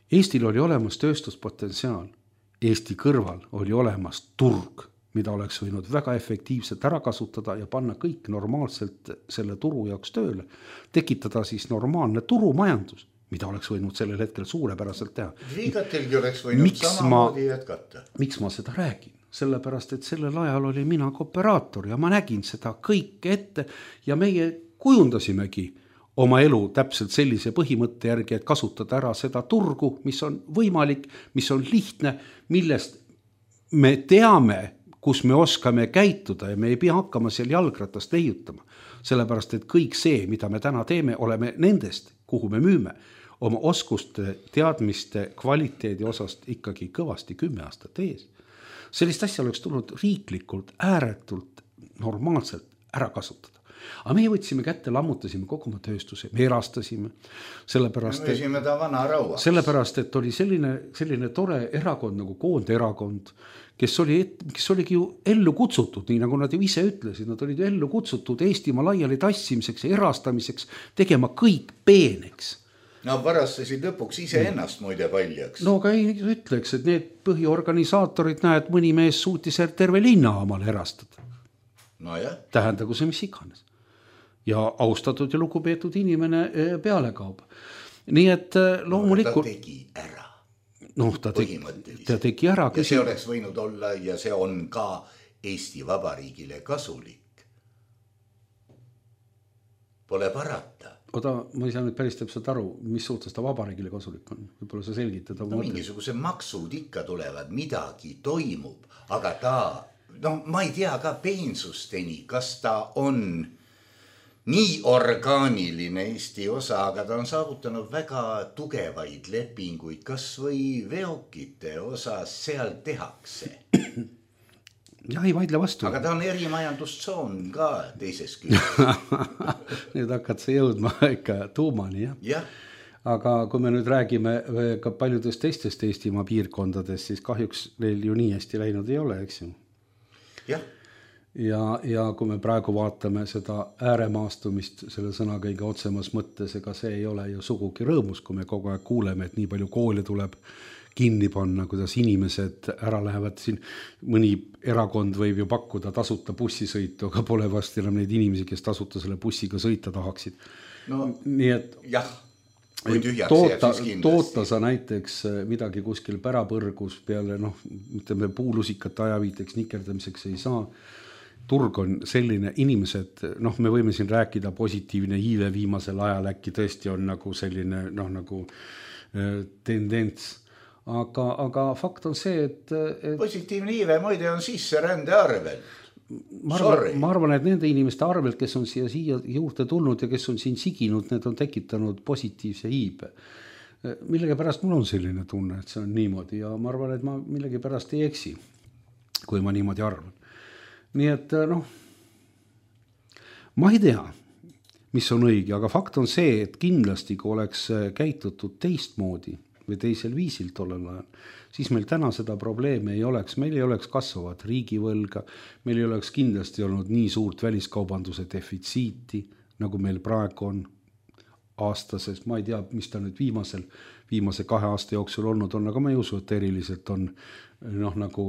Speaker 4: Eestil oli olemas tööstuspotentsiaal. Eesti kõrval oli olemas turg, mida oleks võinud väga efektiivselt ära kasutada ja panna kõik normaalselt selle turu jaoks tööle. Tekitada siis normaalne turumajandus, mida oleks võinud sellel hetkel suurepäraselt teha.
Speaker 3: Viigatelgi oleks võinud samamoodi jätkata.
Speaker 4: Miks ma seda räägin? Sellepärast, et sellel ajal oli mina kooperaator ja ma nägin seda kõik ette ja meie kujundasimegi oma elu täpselt sellise põhimõtte järgi, et kasutada ära seda turgu, mis on võimalik, mis on lihtne, millest me teame, kus me oskame käituda ja me ei pea hakkama seal jalgratast leiutama. Sellepärast, et kõik see, mida me täna teeme, oleme nendest, kuhu me müüme, oma oskuste, teadmiste, kvaliteedi osast ikkagi kõvasti 10 aastat ees. Sellist asja oleks tulnud riiklikult, ääretult, normaalselt ära kasutada. Aga meie võtsime kätte, lammutasime kogu oma tööstuse, me erastasime, sellepärast, et oli selline tore erakond nagu Koonderakond, kes oligi ju ellu kutsutud, nii nagu nad ju ise ütlesid, nad olid ellu kutsutud Eestimaa laiali tassimiseks ja erastamiseks, tegema kõik peeneks.
Speaker 3: No varastasid lõpuks ise ennast muide paljaks.
Speaker 4: No aga ei ütleks, et need põhiorganisaatorid näed, mõni mees suutis terve linna omale erastada.
Speaker 3: No jah.
Speaker 4: Tähendagu see mis iganes. Ja austatud ja lugupeetud inimene pealekaub. Nii et loomulikult...
Speaker 3: Ta tegi ära.
Speaker 4: Ta tegi ära.
Speaker 3: Ja see oleks võinud olla ja see on ka Eesti Vabariigile kasulik. Pole parata.
Speaker 4: Oda, ma ei saa nüüd päris täpselt aru, mis suhtes ta vabariigile kasulik on. Võib-olla sa selgitad.
Speaker 3: Mingisuguse maksud ikka tulevad, midagi toimub, aga ma ei tea ka peensusteni, kas ta on nii orgaaniline Eesti osa, aga ta on saavutanud väga tugevaid lepinguid, kas või veokite osas seal tehakse.
Speaker 4: Ja ei vaidle vastu.
Speaker 3: Aga ta on erimajandustsoon ka teises küljes.
Speaker 4: Nüüd hakkad sa jõudma ikka tuumani, jah?
Speaker 3: Jah.
Speaker 4: Aga kui me nüüd räägime ka paljudest teistest Eestimaa piirkondadest, siis kahjuks neil ju nii hästi läinud ei ole, eks ju?
Speaker 3: Jah.
Speaker 4: Ja kui me praegu vaatame seda ääremaastumist selle sõna kõige otsemas mõttes, ega see ei ole ju sugugi rõõmus, kui me kogu aeg kuuleme, et nii palju koole tuleb kinni panna, kuidas inimesed ära lähevad siin. Mõni erakond võib ju pakkuda tasuta bussisõitu, aga pole vast enam neid inimesi, kes tasuta selle bussiga sõita tahaksid.
Speaker 3: No,
Speaker 4: nii et
Speaker 3: jah,
Speaker 4: toota sa näiteks midagi kuskil pärapõrgus peale, ütleme puulusikate ajaviiteks nikerdamiseks ei saa. Turg on selline, inimesed, me võime siin rääkida positiivne iive viimasel ajal, äkki tõesti on nagu selline nagu tendents. Aga fakt on see, et
Speaker 3: positiivne iive muide on sisserände arvel.
Speaker 4: Ma arvan, et nende inimeste arvelt, kes on siia juurde tulnud ja kes on siin siginud, need on tekitanud positiivse iibe. Millegi pärast mul on selline tunne, et see on niimoodi ja ma arvan, et ma millegi pärast ei eksi, kui ma niimoodi arvan. Nii et ma ei tea, mis on õige, aga fakt on see, et kindlasti kui oleks käitutud teistmoodi, või teisel viisil tollel ajal, siis meil täna seda probleemi ei oleks, meil ei oleks kasvavat riigivõlga, meil ei oleks kindlasti olnud nii suurt väliskaubanduse defitsiiti, nagu meil praegu on aastases, ma ei tea, mis ta nüüd viimase 2 aasta jooksul olnud on, aga ma ei usu, et eriliselt on nagu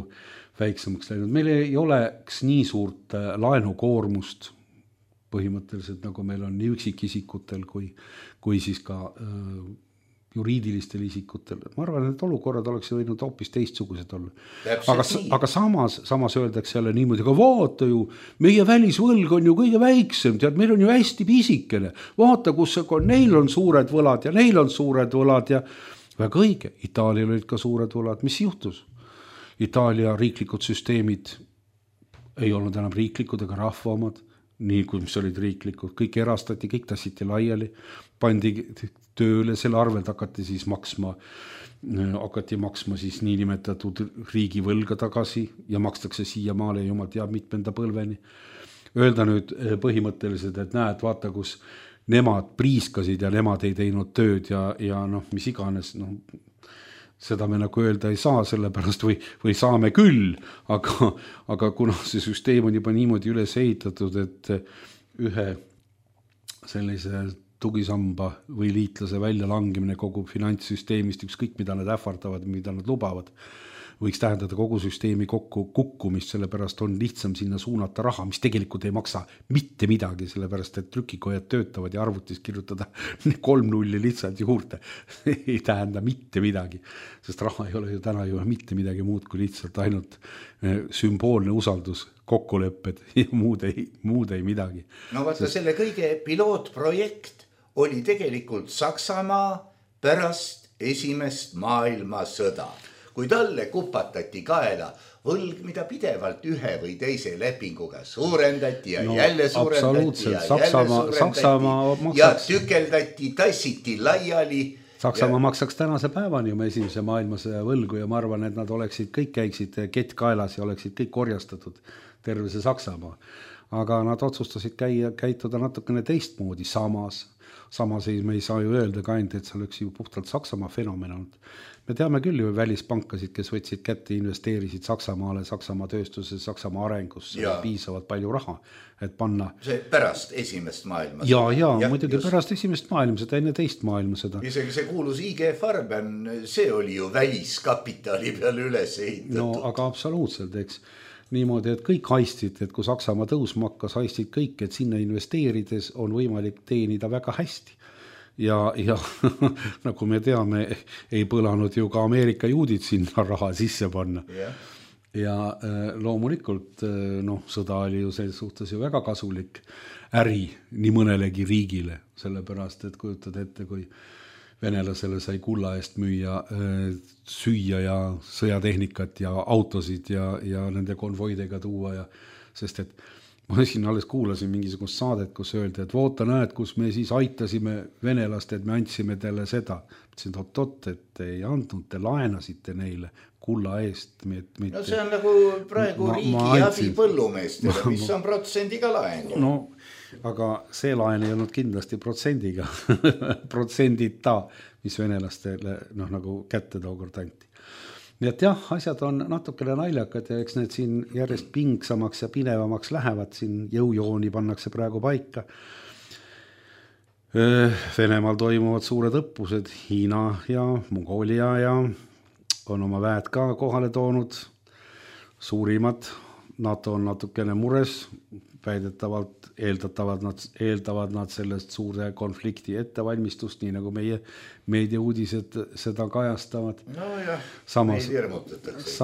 Speaker 4: väiksemaks läinud. Meil ei oleks nii suurt laenukoormust põhimõtteliselt, nagu meil on nii üksikisikutel kui siis ka juriidilistel isikutel. Ma arvan, et olukorrad oleks võinud hoopis teistsugused olla. Aga samas öeldakse jälle niimoodi, aga vaata ju, meie välisvõlg on ju kõige väiksem, tead, meil on ju hästi pisikene. Vaata, kus neil on suured võlad ja neil on suured võlad ja väga õige, Itaalial olid ka suured võlad. Mis juhtus? Itaalia riiklikud süsteemid ei olnud enam riiklikud ega rahva omad, nii kui mis olid riiklikud, kõik erastati, kõik tassiti laiali, pandi tööle, selle arvelt hakati maksma siis niinimetatud riigivõlga tagasi ja makstakse siiamaale jumal teab mitmenda põlveni. Öelda nüüd põhimõtteliselt, et näed, vaata, kus nemad priiskasid ja nemad ei teinud tööd ja mis iganes, seda me nagu öelda ei saa sellepärast või saame küll, aga kuna see süsteem on juba niimoodi üles ehitatud, et ühe sellise tugisamba või liitlase väljalangemine kogu finantssüsteemist, ükskõik mida nad ähvardavad, mida nad lubavad, võiks tähendada kogu süsteemi kukkumist, sellepärast on lihtsam sinna suunata raha, mis tegelikult ei maksa mitte midagi, sellepärast et trükikojad töötavad ja arvutis kirjutada 3 nulli lihtsalt juurde ei tähenda mitte midagi, sest raha ei ole ju täna ju mitte midagi muud kui lihtsalt ainult sümboolne usaldus, kokkulepped ja muud ei midagi.
Speaker 3: No vaata, selle kõige pilootprojekt oli tegelikult Saksamaa pärast esimest maailmasõda, kui talle kupatati kaela võlg, mida pidevalt ühe või teise lepinguga suurendati ja jälle suurendati ja jälle suurendati ja tükeldati, tassiti laiali.
Speaker 4: Saksamaa maksaks tänase päevani oma esimese maailmasõja võlgu ja ma arvan, et nad kõik käiksid kett kaelas ja oleksid kõik korjastatud terve see Saksamaa. Aga nad otsustasid käituda natukene teistmoodi samas me ei saa ju öelda ka ainult, et see oleks ju puhtalt Saksamaa fenomen olnud. Me teame küll ju välispankasid, kes võtsid kätte, investeerisid Saksamaale, Saksamaa tööstuses, Saksamaa arengusse ja piisavalt palju raha, et panna.
Speaker 3: See pärast esimest maailmasõda.
Speaker 4: Ja muidugi pärast esimest maailmasõda, enne teist maailmasõda.
Speaker 3: Isegi see kuulus IG Farben, see oli ju väliskapitali peale üles ehitatud.
Speaker 4: No aga absoluutselt, eks. Niimoodi, et kõik haistid, et kui Saksamaa tõusma hakkas, haistid kõik, et sinna investeerides on võimalik teenida väga hästi. Ja nagu me teame, ei põlanud ju ka Ameerika juudid sinna raha sisse panna. Ja loomulikult sõda oli ju selles suhtes ju väga kasulik äri nii mõnelegi riigile, sellepärast, et kujutad ette, kui venelasele sai kulla eest müüa süüa ja sõjatehnikat ja autosid ja nende konvoidega tuua sest et ma siin alles kuulasin mingisugust saadet, kus öeldi, et voota näed, kus me siis aitasime venelast, et me andsime teile seda. Ütlesin, et ei andnud, te laenasite neile kulla eest.
Speaker 3: No see on nagu praegu riigi abi põllumeestele, mis on protsendiga laen.
Speaker 4: No, aga see laen ei olnud kindlasti protsendiga, protsendita, mis venelastele nagu kätte tookord anti. Nii et jah, asjad on natukene naljakad ja eks need siin järjest pingsamaks ja pinevamaks lähevad, siin jõujooni pannakse praegu paika. Venemaal toimuvad suured õppused, Hiina ja Mongolia ja on oma väed ka kohale toonud, suurimad, NATO on natukene mures, väidetavalt eeldavad nad sellest suure konflikti ettevalmistust, nii nagu meie meediauudised seda kajastavad.
Speaker 3: No jah,
Speaker 4: meid hirmutatakse.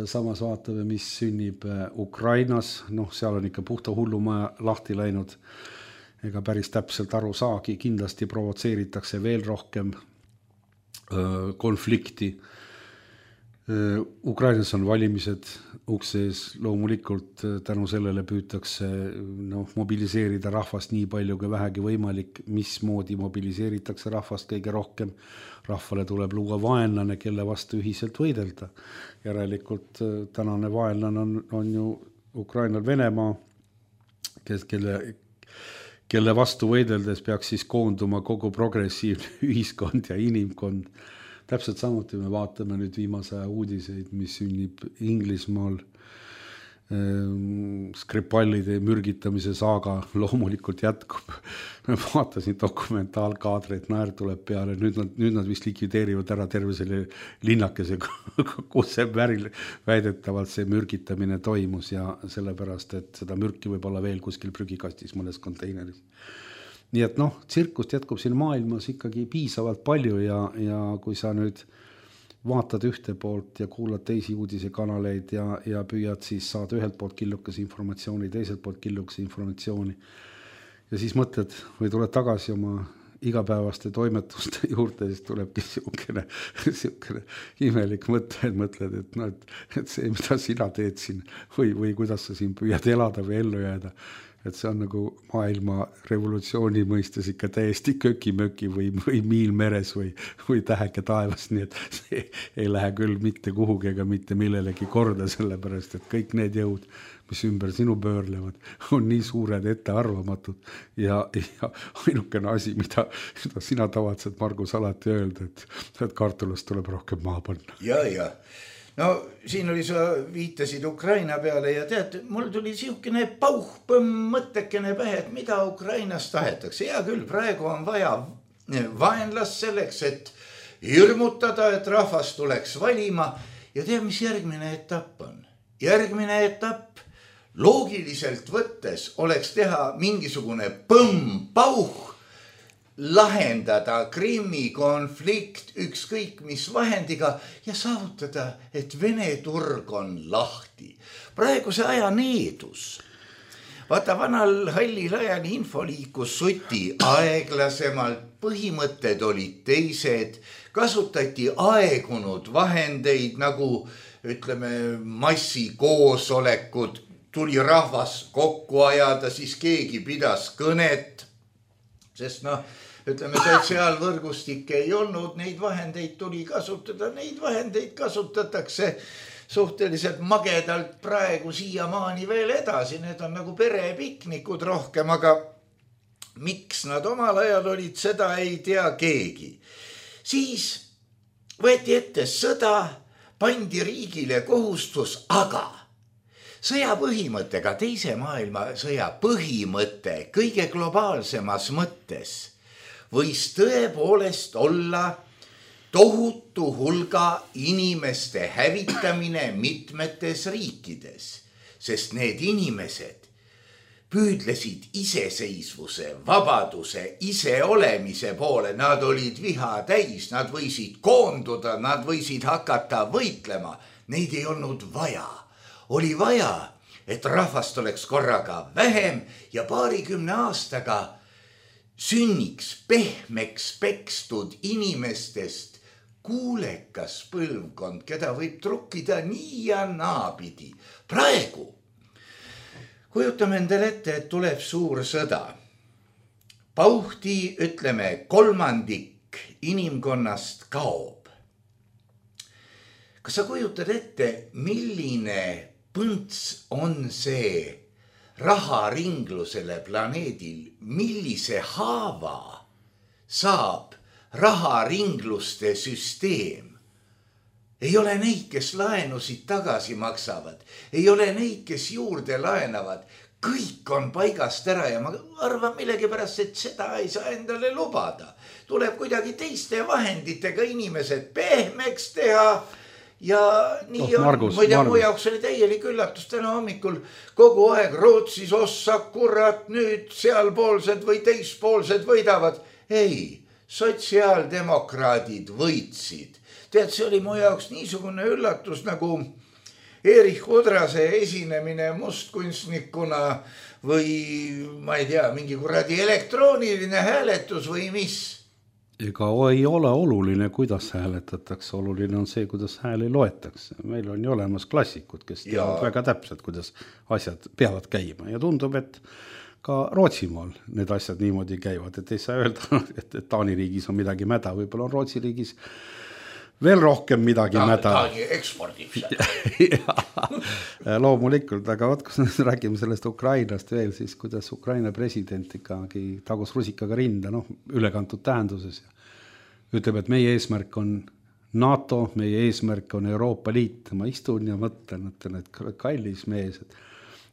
Speaker 4: Samas vaatame, mis sünnib Ukrainas, seal on ikka puhta hullumaja lahti läinud, ega päris täpselt aru saagi, kindlasti provotseeritakse veel rohkem konflikti. Ukrainas on valimised uksees, loomulikult tänu sellele püütakse mobiliseerida rahvast nii palju kui vähegi võimalik, mismoodi mobiliseeritakse rahvast kõige rohkem. Rahvale tuleb luua vaenlane, kelle vastu ühiselt võidelda. Järelikult tänane vaenlane on ju Ukrainal Venemaa, kelle vastu võideldes peaks siis koonduma kogu progressiivne ühiskond ja inimkond. täpselt samuti me vaatame nüüd viimase uudiseid, mis sünnib Inglismaal. Skripallide mürgitamise saaga loomulikult jätkub. Ma vaatasin dokumentaalkaadreid, naer tuleb peale, nüüd nad vist likvideerivad ära terve selle linnakese, kus see väidetavalt see mürgitamine toimus ja sellepärast, et seda mürki võib olla veel kuskil prügikastis mõnes konteineris. Nii et tsirkust jätkub siin maailmas ikkagi piisavalt palju ja kui sa nüüd vaatad ühte poolt ja kuulad teisi uudisekanaleid ja püüad siis saada ühelt poolt killukese informatsiooni, teiselt poolt killukese informatsiooni. Ja siis mõtled või tuled tagasi oma igapäevaste toimetuste juurde, siis tulebki siukene imelik mõtled, et see, mida sina teed siin või kuidas sa siin püüad elada või ellu jääda, et see on nagu maailma revolutsiooni mõistes ikka täiesti köki-möki või miil meres või täheke taevas, nii et see ei lähe küll mitte kuhugi ega mitte millelegi korda, sellepärast, et kõik need jõud, mis ümber sinu pöörlevad, on nii suured ettearvamatud ja ainukene asi, mida sina tavatsed, Margus, alati öelda, et kartulast tuleb rohkem maha panna.
Speaker 3: Ja. No siin oli, sa viitasid Ukraina peale ja tead, mul tuli siukene pauhpõmm mõttekene pähe, et mida Ukrainas tahetakse. Ja küll, praegu on vaja vaenlast selleks, et hirmutada, et rahvas tuleks valima ja tead, mis järgmine etapp on? Järgmine etapp loogiliselt võttes oleks teha mingisugune pauh, lahendada Krimmi konflikt ükskõik mis vahendiga ja saavutada, et Vene turg on lahti. Praeguse aja needus. Vaata, vanal hallil ajal info liikus suti aeglasemalt, põhimõtted olid teised, kasutati aegunud vahendeid nagu, ütleme, massikoosolekud, tuli rahvas kokku ajada, siis keegi pidas kõnet, sest ütleme, sotsiaalvõrgustikke ei olnud, neid vahendeid tuli kasutada, neid vahendeid kasutatakse suhteliselt magedalt praegu siiamaani veel edasi, need on nagu perepiknikud rohkem, aga miks nad omal ajal olid, seda ei tea keegi. Siis võeti ette sõda, pandi riigile kohustus, aga sõja põhimõttega, teise maailma sõja põhimõte kõige globaalsemas mõttes võis tõepoolest olla tohutu hulga inimeste hävitamine mitmetes riikides, sest need inimesed püüdlesid iseseisvuse, vabaduse, iseolemise poole, nad olid viha täis, nad võisid koonduda, nad võisid hakata võitlema, neid ei olnud vaja. Oli vaja, et rahvast oleks korraga vähem ja 20 aastaga sünniks pehmeks pekstud inimestest kuulekas põlvkond, keda võib trukkida nii ja naapidi. Praegu kujutame endale ette, et tuleb suur sõda. Pauhti, ütleme, 1/3 inimkonnast kaob. Kas sa kujutad ette, milline põnts on see raharinglusele planeedil, millise haava saab raharingluste süsteem? Ei ole neid, kes laenusid tagasi maksavad, ei ole neid, kes juurde laenavad, kõik on paigast ära ja ma arvan millegipärast, et seda ei saa endale lubada. Tuleb kuidagi teiste vahenditega inimesed pehmeks teha. Ja nii on,
Speaker 4: Margus.
Speaker 3: Mu jaoks oli täielik üllatus täna hommikul kogu aeg Rootsis ossa, kurat, nüüd sealpoolsed või teispoolsed võidavad. Ei, sotsiaaldemokraadid võitsid. Tead, see oli mu jaoks niisugune üllatus nagu Erich Udrase esinemine mustkunstnikuna või ma ei tea, mingi kuradi elektrooniline hääletus või mis.
Speaker 4: Ega ei ole oluline, kuidas hääletatakse, oluline on see, kuidas hääli loetakse. Meil on ju olemas klassikud, kes teavad väga täpselt, kuidas asjad peavad käima ja tundub, et ka Rootsimaal need asjad niimoodi käivad, et ei saa öelda, et Taani riigis on midagi mäda, võib-olla on Rootsi riigis veel rohkem midagi mäda.
Speaker 3: Taani ekspordib seda.
Speaker 4: Loomulikult, aga vaat, kus räägime sellest Ukrainast veel, siis kuidas Ukraina president ikkagi tagus rusikaga rinda, ülekantud tähenduses. Ütleb, et meie eesmärk on NATO, meie eesmärk on Euroopa Liit. Ma istun ja mõtlen, et kallis mees, et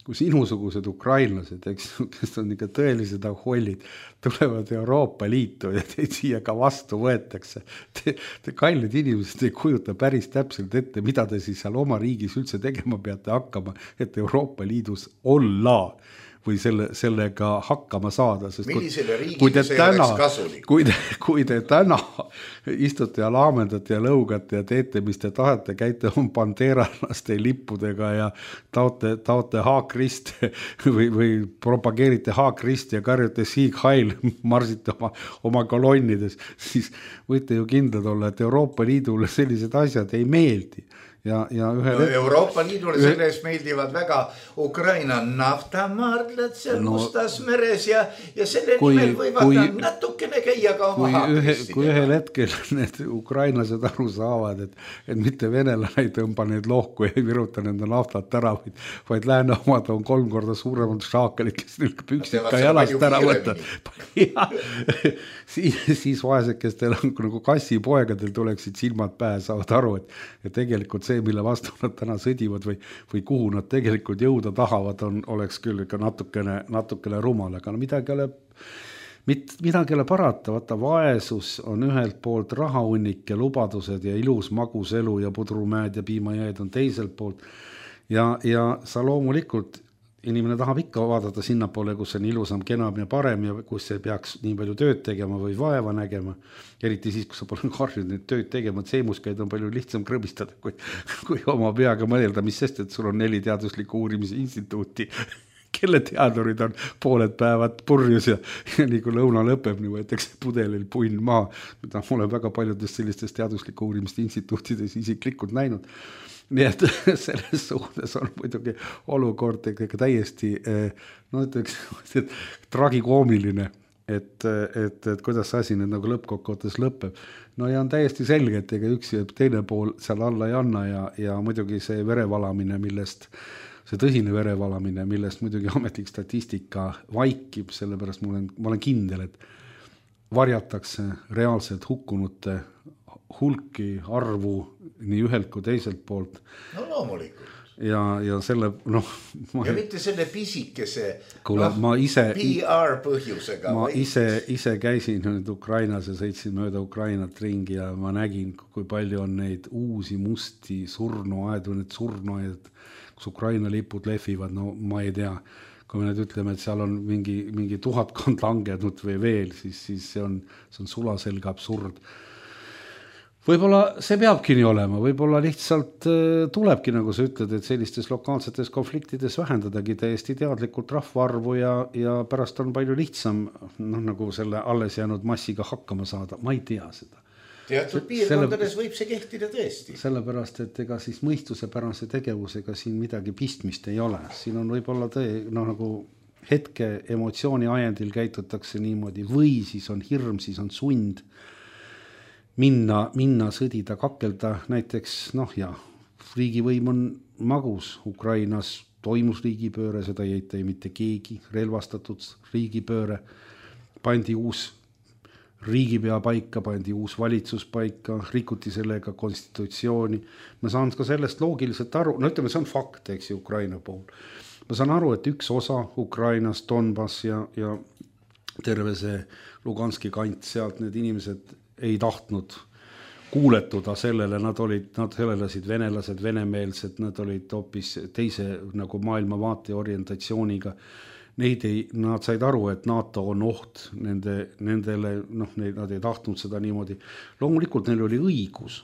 Speaker 4: kui sinusugused ukrainlased, kes on ikka tõelised ahollid, tulevad Euroopa Liitu ja teid siia ka vastu võetakse. Te kallid inimesed ei kujuta päris täpselt ette, mida te siis seal oma riigis üldse tegema peate hakkama, et Euroopa Liidus olla või sellega hakkama saada. Sest
Speaker 3: millisele riigile see oleks kasulik?
Speaker 4: Kui te täna istute ja laamendate ja lõugate ja teete, mis te tahate, käite on bandeeralaste lippudega ja taote haakriste või propageerite haakrist ja karjute Sieg Heil, marsite oma kolonnides, siis võite ju kindlad olla, et Euroopa Liidule sellised asjad ei meeldi. Ja
Speaker 3: Euroopa Liidule selles meeldivad väga Ukraina naftamaardlad seal Mustas meres ja selle nimel võivad natukene käia ka oma haakristidega.
Speaker 4: Kui ühel hetkel need ukrainlased aru saavad, et mitte venelane ei tõmba neid lohku ja ei viruta nende naftat ära, vaid lääne omad on 3 korda suuremad šaakalid, kes neil püksid ka jalast ära võtta. Siis vaesekestel nagu kassipoegadel tuleksid silmad pähe, saavad aru, et tegelikult see, mille vastu nad täna sõdivad või kuhu nad tegelikult jõuda tahavad, oleks küll ikka natukene rumal, aga midagi ei ole parata, vaata vaesus on ühelt poolt rahahunnik ja lubadused ja ilus magus elu ja pudrumäed ja piimajääd on teiselt poolt ja sa loomulikult inimene tahab ikka vaadata sinnapoole, kus on ilusam, kenam ja parem ja kus ei peaks nii palju tööd tegema või vaeva nägema. Eriti siis, kui sa pole harjunud neid tööd tegema, et seemuskäid on palju lihtsam krõbistada, kui oma peaga mõelda, mis sest, et sul on 4 teadusliku uurimise instituuti, kelle teadurid on pooled päevad purjus ja nii kui lõuna lõpeb, nii võetakse pudelil punn maa, mida ma olen väga paljudest sellistest teadusliku uurimiste instituutides isiklikult näinud. Nii et selles suhtes on muidugi olukord täiesti tragikoomiline, et kuidas see asi nüüd nagu lõppkokkuvõttes lõpeb. No ja on täiesti selge, et ega üks ja teine pool seal alla ei anna ja muidugi see verevalamine, see tõsine verevalamine, millest muidugi ametlik statistika vaikib, sellepärast ma olen kindel, et varjatakse reaalselt hukkunute hulki arvu nii ühelt kui teiselt poolt.
Speaker 3: No loomulikult.
Speaker 4: Ja selle,
Speaker 3: ja mitte selle pisikese PR põhjusega.
Speaker 4: Ma ise käisin nüüd Ukrainas ja sõitsin mööda Ukrainat ringi ja ma nägin, kui palju on neid uusi musti surnuaedu, need surnuaed, kus Ukraina lipud lehvivad, no ma ei tea. Kui me nüüd ütleme, et seal on mingi 1000 langenud või veel, siis see on sulaselge absurd. Võib-olla see peabki nii olema, võib-olla lihtsalt tulebki, nagu sa ütled, et sellistes lokaalsetes konfliktides vähendadagi täiesti teadlikult rahvaarvu ja pärast on palju lihtsam nagu selle alles jäänud massiga hakkama saada. Ma ei tea seda.
Speaker 3: Teatud piirkondades võib see kehtida tõesti.
Speaker 4: Sellepärast, et ega siis mõistusepärase tegevusega siin midagi pistmist ei ole. Siin on võib-olla nagu hetke emotsiooni ajendil käitutakse niimoodi või siis on hirm, siis on sund minna sõdida, kakelda näiteks, riigivõim on magus, Ukrainas toimus riigipööre, seda ei eita mitte keegi, relvastatud riigipööre, pandi uus riigipea paika, pandi uus valitsus paika, rikuti sellega konstitutsiooni. Ma saan ka sellest loogiliselt aru, ütleme, see on fakt, eks Ukraina pool. Ma saan aru, et üks osa Ukrainas, Donbass ja terve see Luganski kant sealt, need inimesed ei tahtnud kuuletuda sellele, nad sellelasid venelased, venemeelsed, nad olid hoopis teise nagu maailmavaate orientatsiooniga. Nad said aru, et NATO on oht nendele, nad ei tahtnud seda niimoodi. Loomulikult neil oli õigus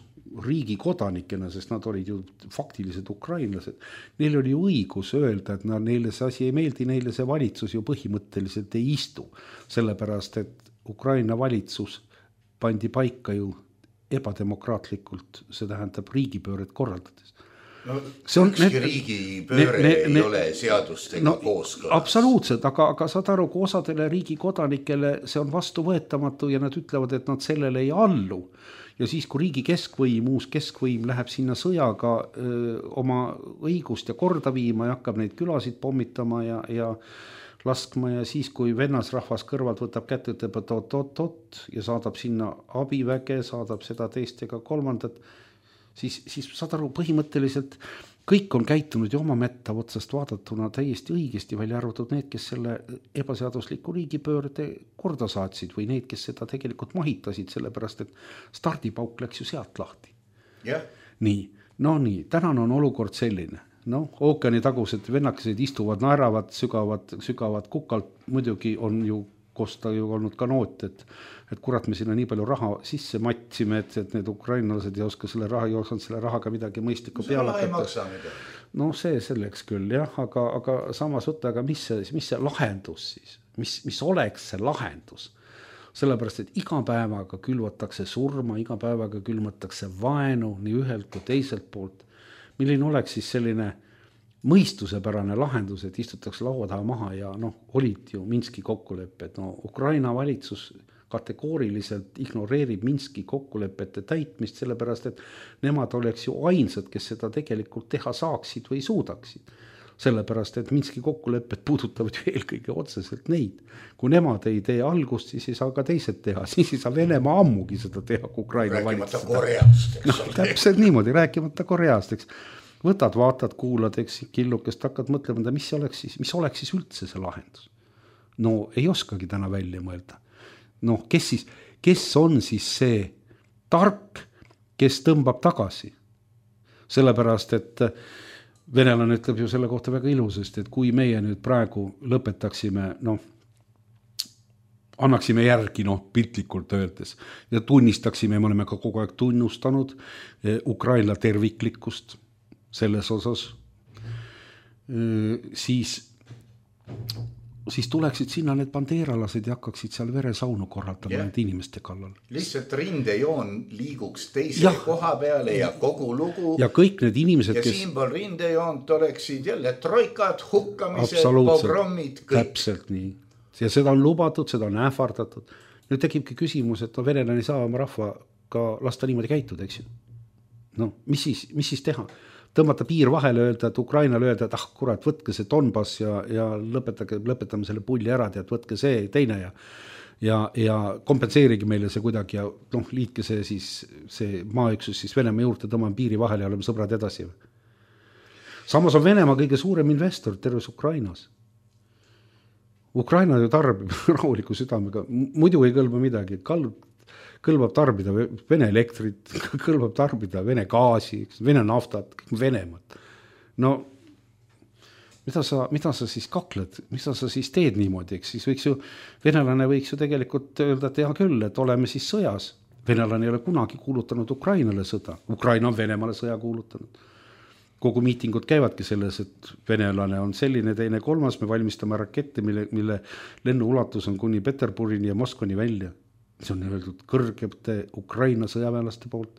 Speaker 4: riigi kodanikena, sest nad olid ju faktilised ukrainlased. Neil oli õigus öelda, et neile see asi ei meeldi, neile see valitsus ju põhimõtteliselt ei istu. Sellepärast, et Ukraina valitsus pandi paika ju ebademokraatlikult, see tähendab riigipööret korraldades.
Speaker 3: Ükski riigipööre ei ole seadustega kooskõlas.
Speaker 4: Absoluutselt, aga saad aru, kui osadele riigi kodanikele see on vastuvõetamatu ja nad ütlevad, et nad sellele ei allu. Ja siis, kui riigi keskvõim, uus keskvõim läheb sinna sõjaga oma õigust ja korda viima ja hakkab neid külasid pommitama ja laskma ja siis, kui vennasrahvas kõrvalt võtab kätte, ütleb, et oot ja saadab sinna abiväge, saadab seda teist ega kolmandat, siis saad aru, põhimõtteliselt kõik on käitunud ju oma mätta otsast vaadatuna täiesti õigesti, välja arvatud need, kes selle ebaseadusliku riigipöörde korda saatsid või need, kes seda tegelikult mahitasid, sellepärast et stardipauk läks ju sealt lahti.
Speaker 3: Yeah.
Speaker 4: Nii, tänane on olukord selline. Ookeani tagused vennakesed istuvad, naeravad, sügavad kukalt, muidugi on ju kosta ju olnud ka noot, et kurat me sinna nii palju raha sisse matsime, et need ukrainlased ei oska selle rahaga midagi mõistlikku peale hakata. No see selleks küll jah, aga samas võtta, aga mis see lahendus siis? Mis oleks see lahendus? Sellepärast, et iga päevaga külvatakse surma, iga päevaga külvatakse vaenu nii ühelt kui teiselt poolt. Milline oleks siis selline mõistusepärane lahendus, et istutakse laua taha maha ja olid ju Minski kokkulepped. Ukraina valitsus kategooriliselt ignoreerib Minski kokkulepete täitmist, sellepärast, et nemad oleks ju ainsad, kes seda tegelikult teha saaksid või suudaksid. Sellepärast, et Minski kokkulepped puudutavad ju eelkõige otseselt neid. Kui nemad ei tee algust, siis ei saa ka teised teha. Siis ei saa Venemaa ammugi seda teha, kui Ukraina
Speaker 3: valitsus. Rääkimata Koreast, eks ole.
Speaker 4: Täpselt niimoodi, rääkimata Koreast, eks. Võtad, vaatad, kuulad, eks killukest hakkad mõtlema, mis oleks siis üldse see lahendus? Ei oskagi täna välja mõelda. Kes on siis see tark, kes tõmbab tagasi? Sellepärast, et venelane ütleb ju selle kohta väga ilusasti, et kui meie nüüd praegu lõpetaksime, annaksime järgi, piltlikult öeldes, ja tunnistaksime, me oleme ka kogu aeg tunnustanud Ukraina terviklikkust selles osas, siis tuleksid sinna need bandeeralased ja hakkaksid seal veresaunu korraldama need inimeste kallal.
Speaker 3: Lihtsalt rindejoon liiguks teise koha peale ja kogu lugu.
Speaker 4: Ja kõik need inimesed,
Speaker 3: ja siinpool rindejoont oleksid jälle troikad, hukkamised, pogrommid, kõik. Täpselt
Speaker 4: nii. Ja seda on lubatud, seda on ähvardatud. Nüüd tekibki küsimus, et venelane ei saa oma rahvaga lasta niimoodi käituda, eks ju. Mis siis teha? Tõmmata piir vahele, öelda, et Ukrainale öelda, et kurat, võtke see Donbass ja lõpetame selle pulli ära, et võtke see teine ja kompenseerigi meile see kuidagi ja liitke see maaüksus siis Venemaa juurde, tõmbame piiri vahele ja oleme sõbrad edasi. Samas on Venemaa kõige suurem investor terves Ukrainas. Ukraina ju tarbib rahuliku südamega, muidu ei kõlba midagi, kõlbab tarbida Vene elektrit, kõlbab tarbida Vene gaasi, Vene naftat, Venemaad. Mida sa siis kakled, mida sa siis teed niimoodi, eks siis venelane võiks ju tegelikult öelda, et hea küll, et oleme siis sõjas. Venelane ei ole kunagi kuulutanud Ukrainale sõda, Ukraina on Venemaale sõja kuulutanud. Kogu miitingud käivadki selles, et venelane on selline, teine, kolmas, me valmistame rakette, mille lennu ulatus on kuni Peterburini ja Moskvani välja. See on öeldud kõrgete Ukraina sõjaväelaste poolt.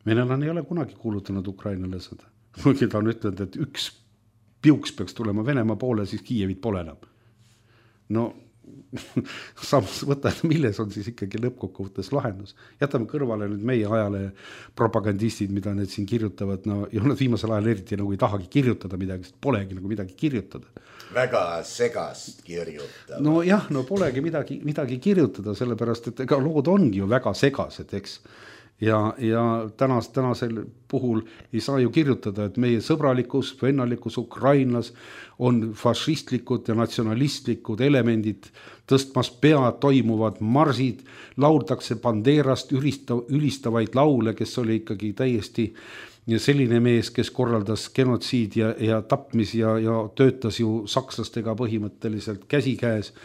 Speaker 4: Venelane ei ole kunagi kuulutanud Ukrainale sõda. Kuigi ta on ütelnud, et üks piuks peaks tulema Venemaa poole, siis Kiievit pole enam. Samas võtta, milles on siis ikkagi lõppkokkuvõttes lahendus. Jätame kõrvale nüüd meie ajale propagandistid, mida need siin kirjutavad, ja nad viimasel ajal eriti nagu ei tahagi kirjutada midagi, sest polegi nagu midagi kirjutada.
Speaker 3: Väga segast kirjutada.
Speaker 4: Polegi midagi kirjutada, sellepärast, et ega lood ongi ju väga segased, eks. Ja tänasel puhul ei saa ju kirjutada, et meie sõbralikus, vennalikus Ukrainas on fašistlikud ja natsionalistlikud elemendid tõstmas pead, toimuvad marsid, lauldakse Banderast ülistavaid laule, kes oli ikkagi täiesti selline mees, kes korraldas genotsiid ja tapmis ja töötas ju sakslastega põhimõtteliselt käsikäes.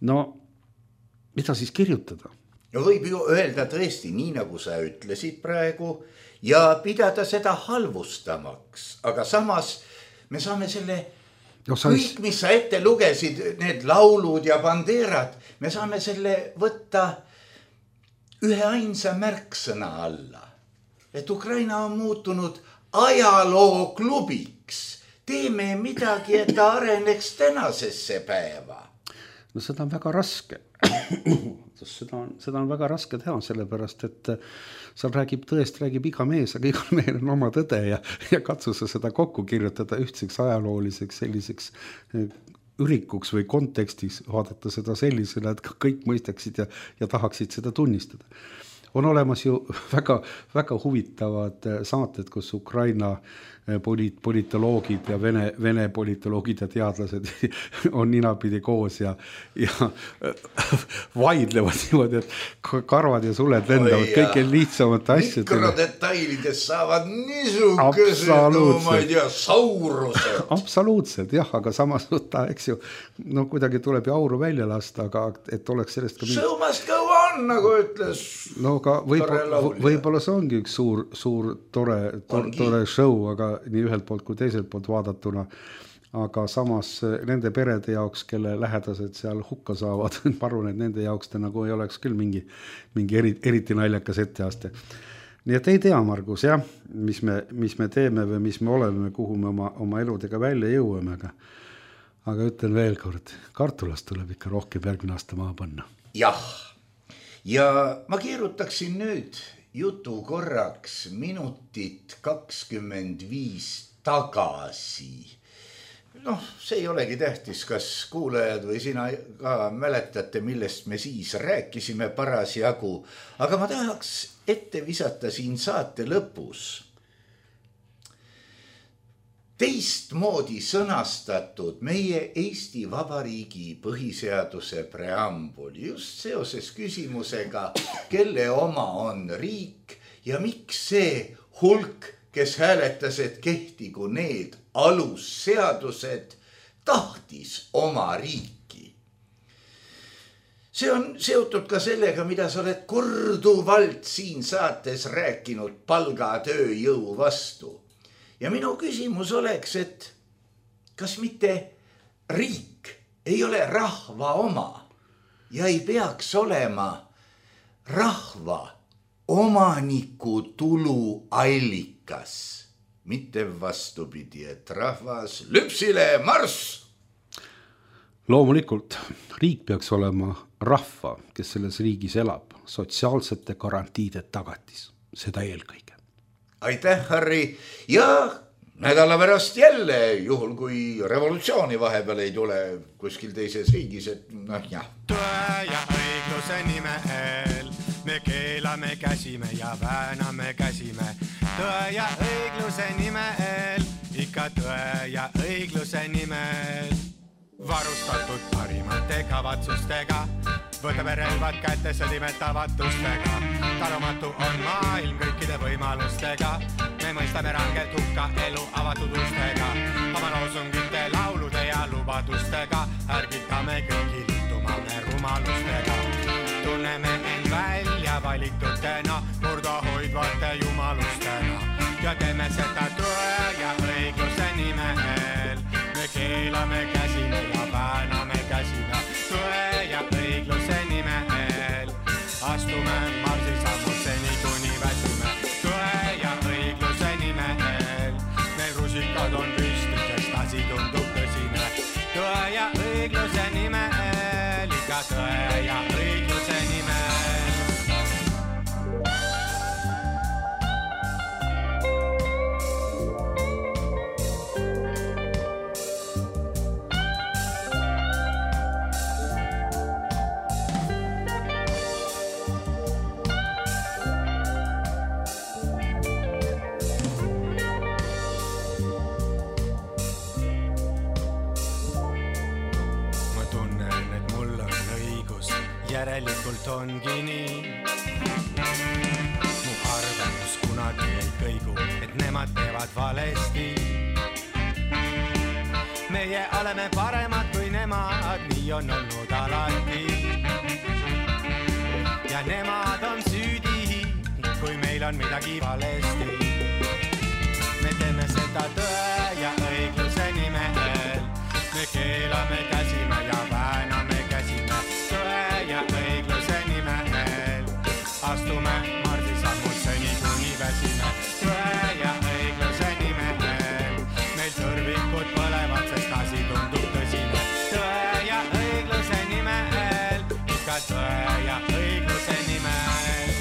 Speaker 4: Mida siis kirjutada?
Speaker 3: Võib ju öelda tõesti nii, nagu sa ütlesid praegu ja pidada seda halvustamaks, aga samas me saame selle kõik, mis sa ette lugesid, need laulud ja bandeerad, me saame selle võtta ühe ainsa märksõna alla, et Ukraina on muutunud ajalooklubiks. Teeme midagi, et ta areneks tänasesse päeva.
Speaker 4: Seda on väga raske. Seda on väga raske teha, sellepärast, et seal räägib iga mees, aga igal mehel on oma tõde ja katsu sa seda kokku kirjutada ühtseks ajalooliseks selliseks ürikuks või kontekstis vaadata seda sellisena, et kõik mõistaksid ja tahaksid seda tunnistada. On olemas ju väga, väga huvitavad saated, kus Ukraina politoloogid ja Vene politoloogid ja teadlased on ninapidi koos ja vaidlevad niimoodi, et karvad ja suled lendavad kõige lihtsamate asjadele.
Speaker 3: Mikrodetailides saavad niisugused, no ma ei tea, saurused.
Speaker 4: Absoluutselt, jah, aga samas võtta, eks ju, no kuidagi tuleb ju auru välja lasta, aga et oleks sellest ka
Speaker 3: Show must go on, nagu ütles.
Speaker 4: No aga võib-olla see ongi üks suur tore show, aga nii ühelt poolt kui teiselt poolt vaadatuna, aga samas nende perede jaoks, kelle lähedased seal hukka saavad, ma arvan, et nende jaoks ta nagu ei oleks küll mingi eriti naljakas etteaste. Nii et ei tea, Margus, jah, mis me teeme või mis me oleme, kuhu me oma eludega välja jõuame, aga ütlen veel kord, kartulast tuleb ikka rohkem järgmine aasta maha panna.
Speaker 3: Jah, ja ma keerutaksin nüüd jutu korraks minutit 25 tagasi. Noh, see ei olegi tähtis, kas kuulajad või sina ka mäletate, millest me siis rääkisime parasjagu, aga ma tahaks ette visata siin saate lõpus teistmoodi sõnastatud meie Eesti Vabariigi põhiseaduse preambuli just seoses küsimusega, kelle oma on riik ja miks see hulk, kes hääletas, et kehtigu need alusseadused, tahtis oma riiki. See on seotud ka sellega, mida sa oled korduvalt siin saates rääkinud palgatööjõu vastu. Ja minu küsimus oleks, et kas mitte riik ei ole rahva oma ja ei peaks olema rahva omaniku tulu allikas, mitte vastupidi, et rahvas lüpsile marss.
Speaker 4: Loomulikult, riik peaks olema rahva, kes selles riigis elab, sotsiaalsete garantiide tagatis, seda eelkõige.
Speaker 3: Aitäh, Harri, ja nädala pärast jälle, juhul kui revolutsiooni vahepeal ei tule kuskil teises riigis, et noh, jah.
Speaker 5: Tõe ja õigluse nimel me keelame käsime ja vääname käsime. Tõe ja õigluse nimel, ikka tõe ja õigluse nimel. Varustatud parimate kavatsustega, võtame relvad kätte, sõdime tavatustega. Talumatu on maailm kõikide võimalustega, me mõistame rangelt hukka elu avatud ustega. Oma loosungite, laulude ja lubadustega, ärgitame kõiki liituma me rumalustega. Tunneme end välja valitutena, murda hoidvate jumalustena ja teeme seda tõe ja õigluse nimel. Me keelame käsime ja vääname käsime, tõe ja õigluse nimel. Astume marsisammud seni kuni väsime, tõe ja õigluse nimel. Meil rusikad on püsti, sest asi tundub tõsine. Tõe ja õigluse nimel, ikka tõe ja õigluse nimel. Järelikult ongi nii. Mu arvamus kunagi ei kõigu, et nemad teevad valesti. Meie oleme paremad kui nemad, nii on olnud alati. Ja nemad on süüdi, kui meil on midagi valesti. Me teeme seda tõe ja õigluse nimel. Me keelame käsime ja vääname käsime, tõe ja õigluse nimel. Astume marsisammud seni kuni väsime, tõe ja õigluse nimel. Meil tõrvikud põlevad, sest asi tundub tõsine. Tõe ja õigluse nimel, ikka tõe ja õigluse nimel.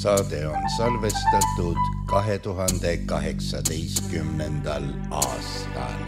Speaker 3: saade on salvestatud 2018. aastal.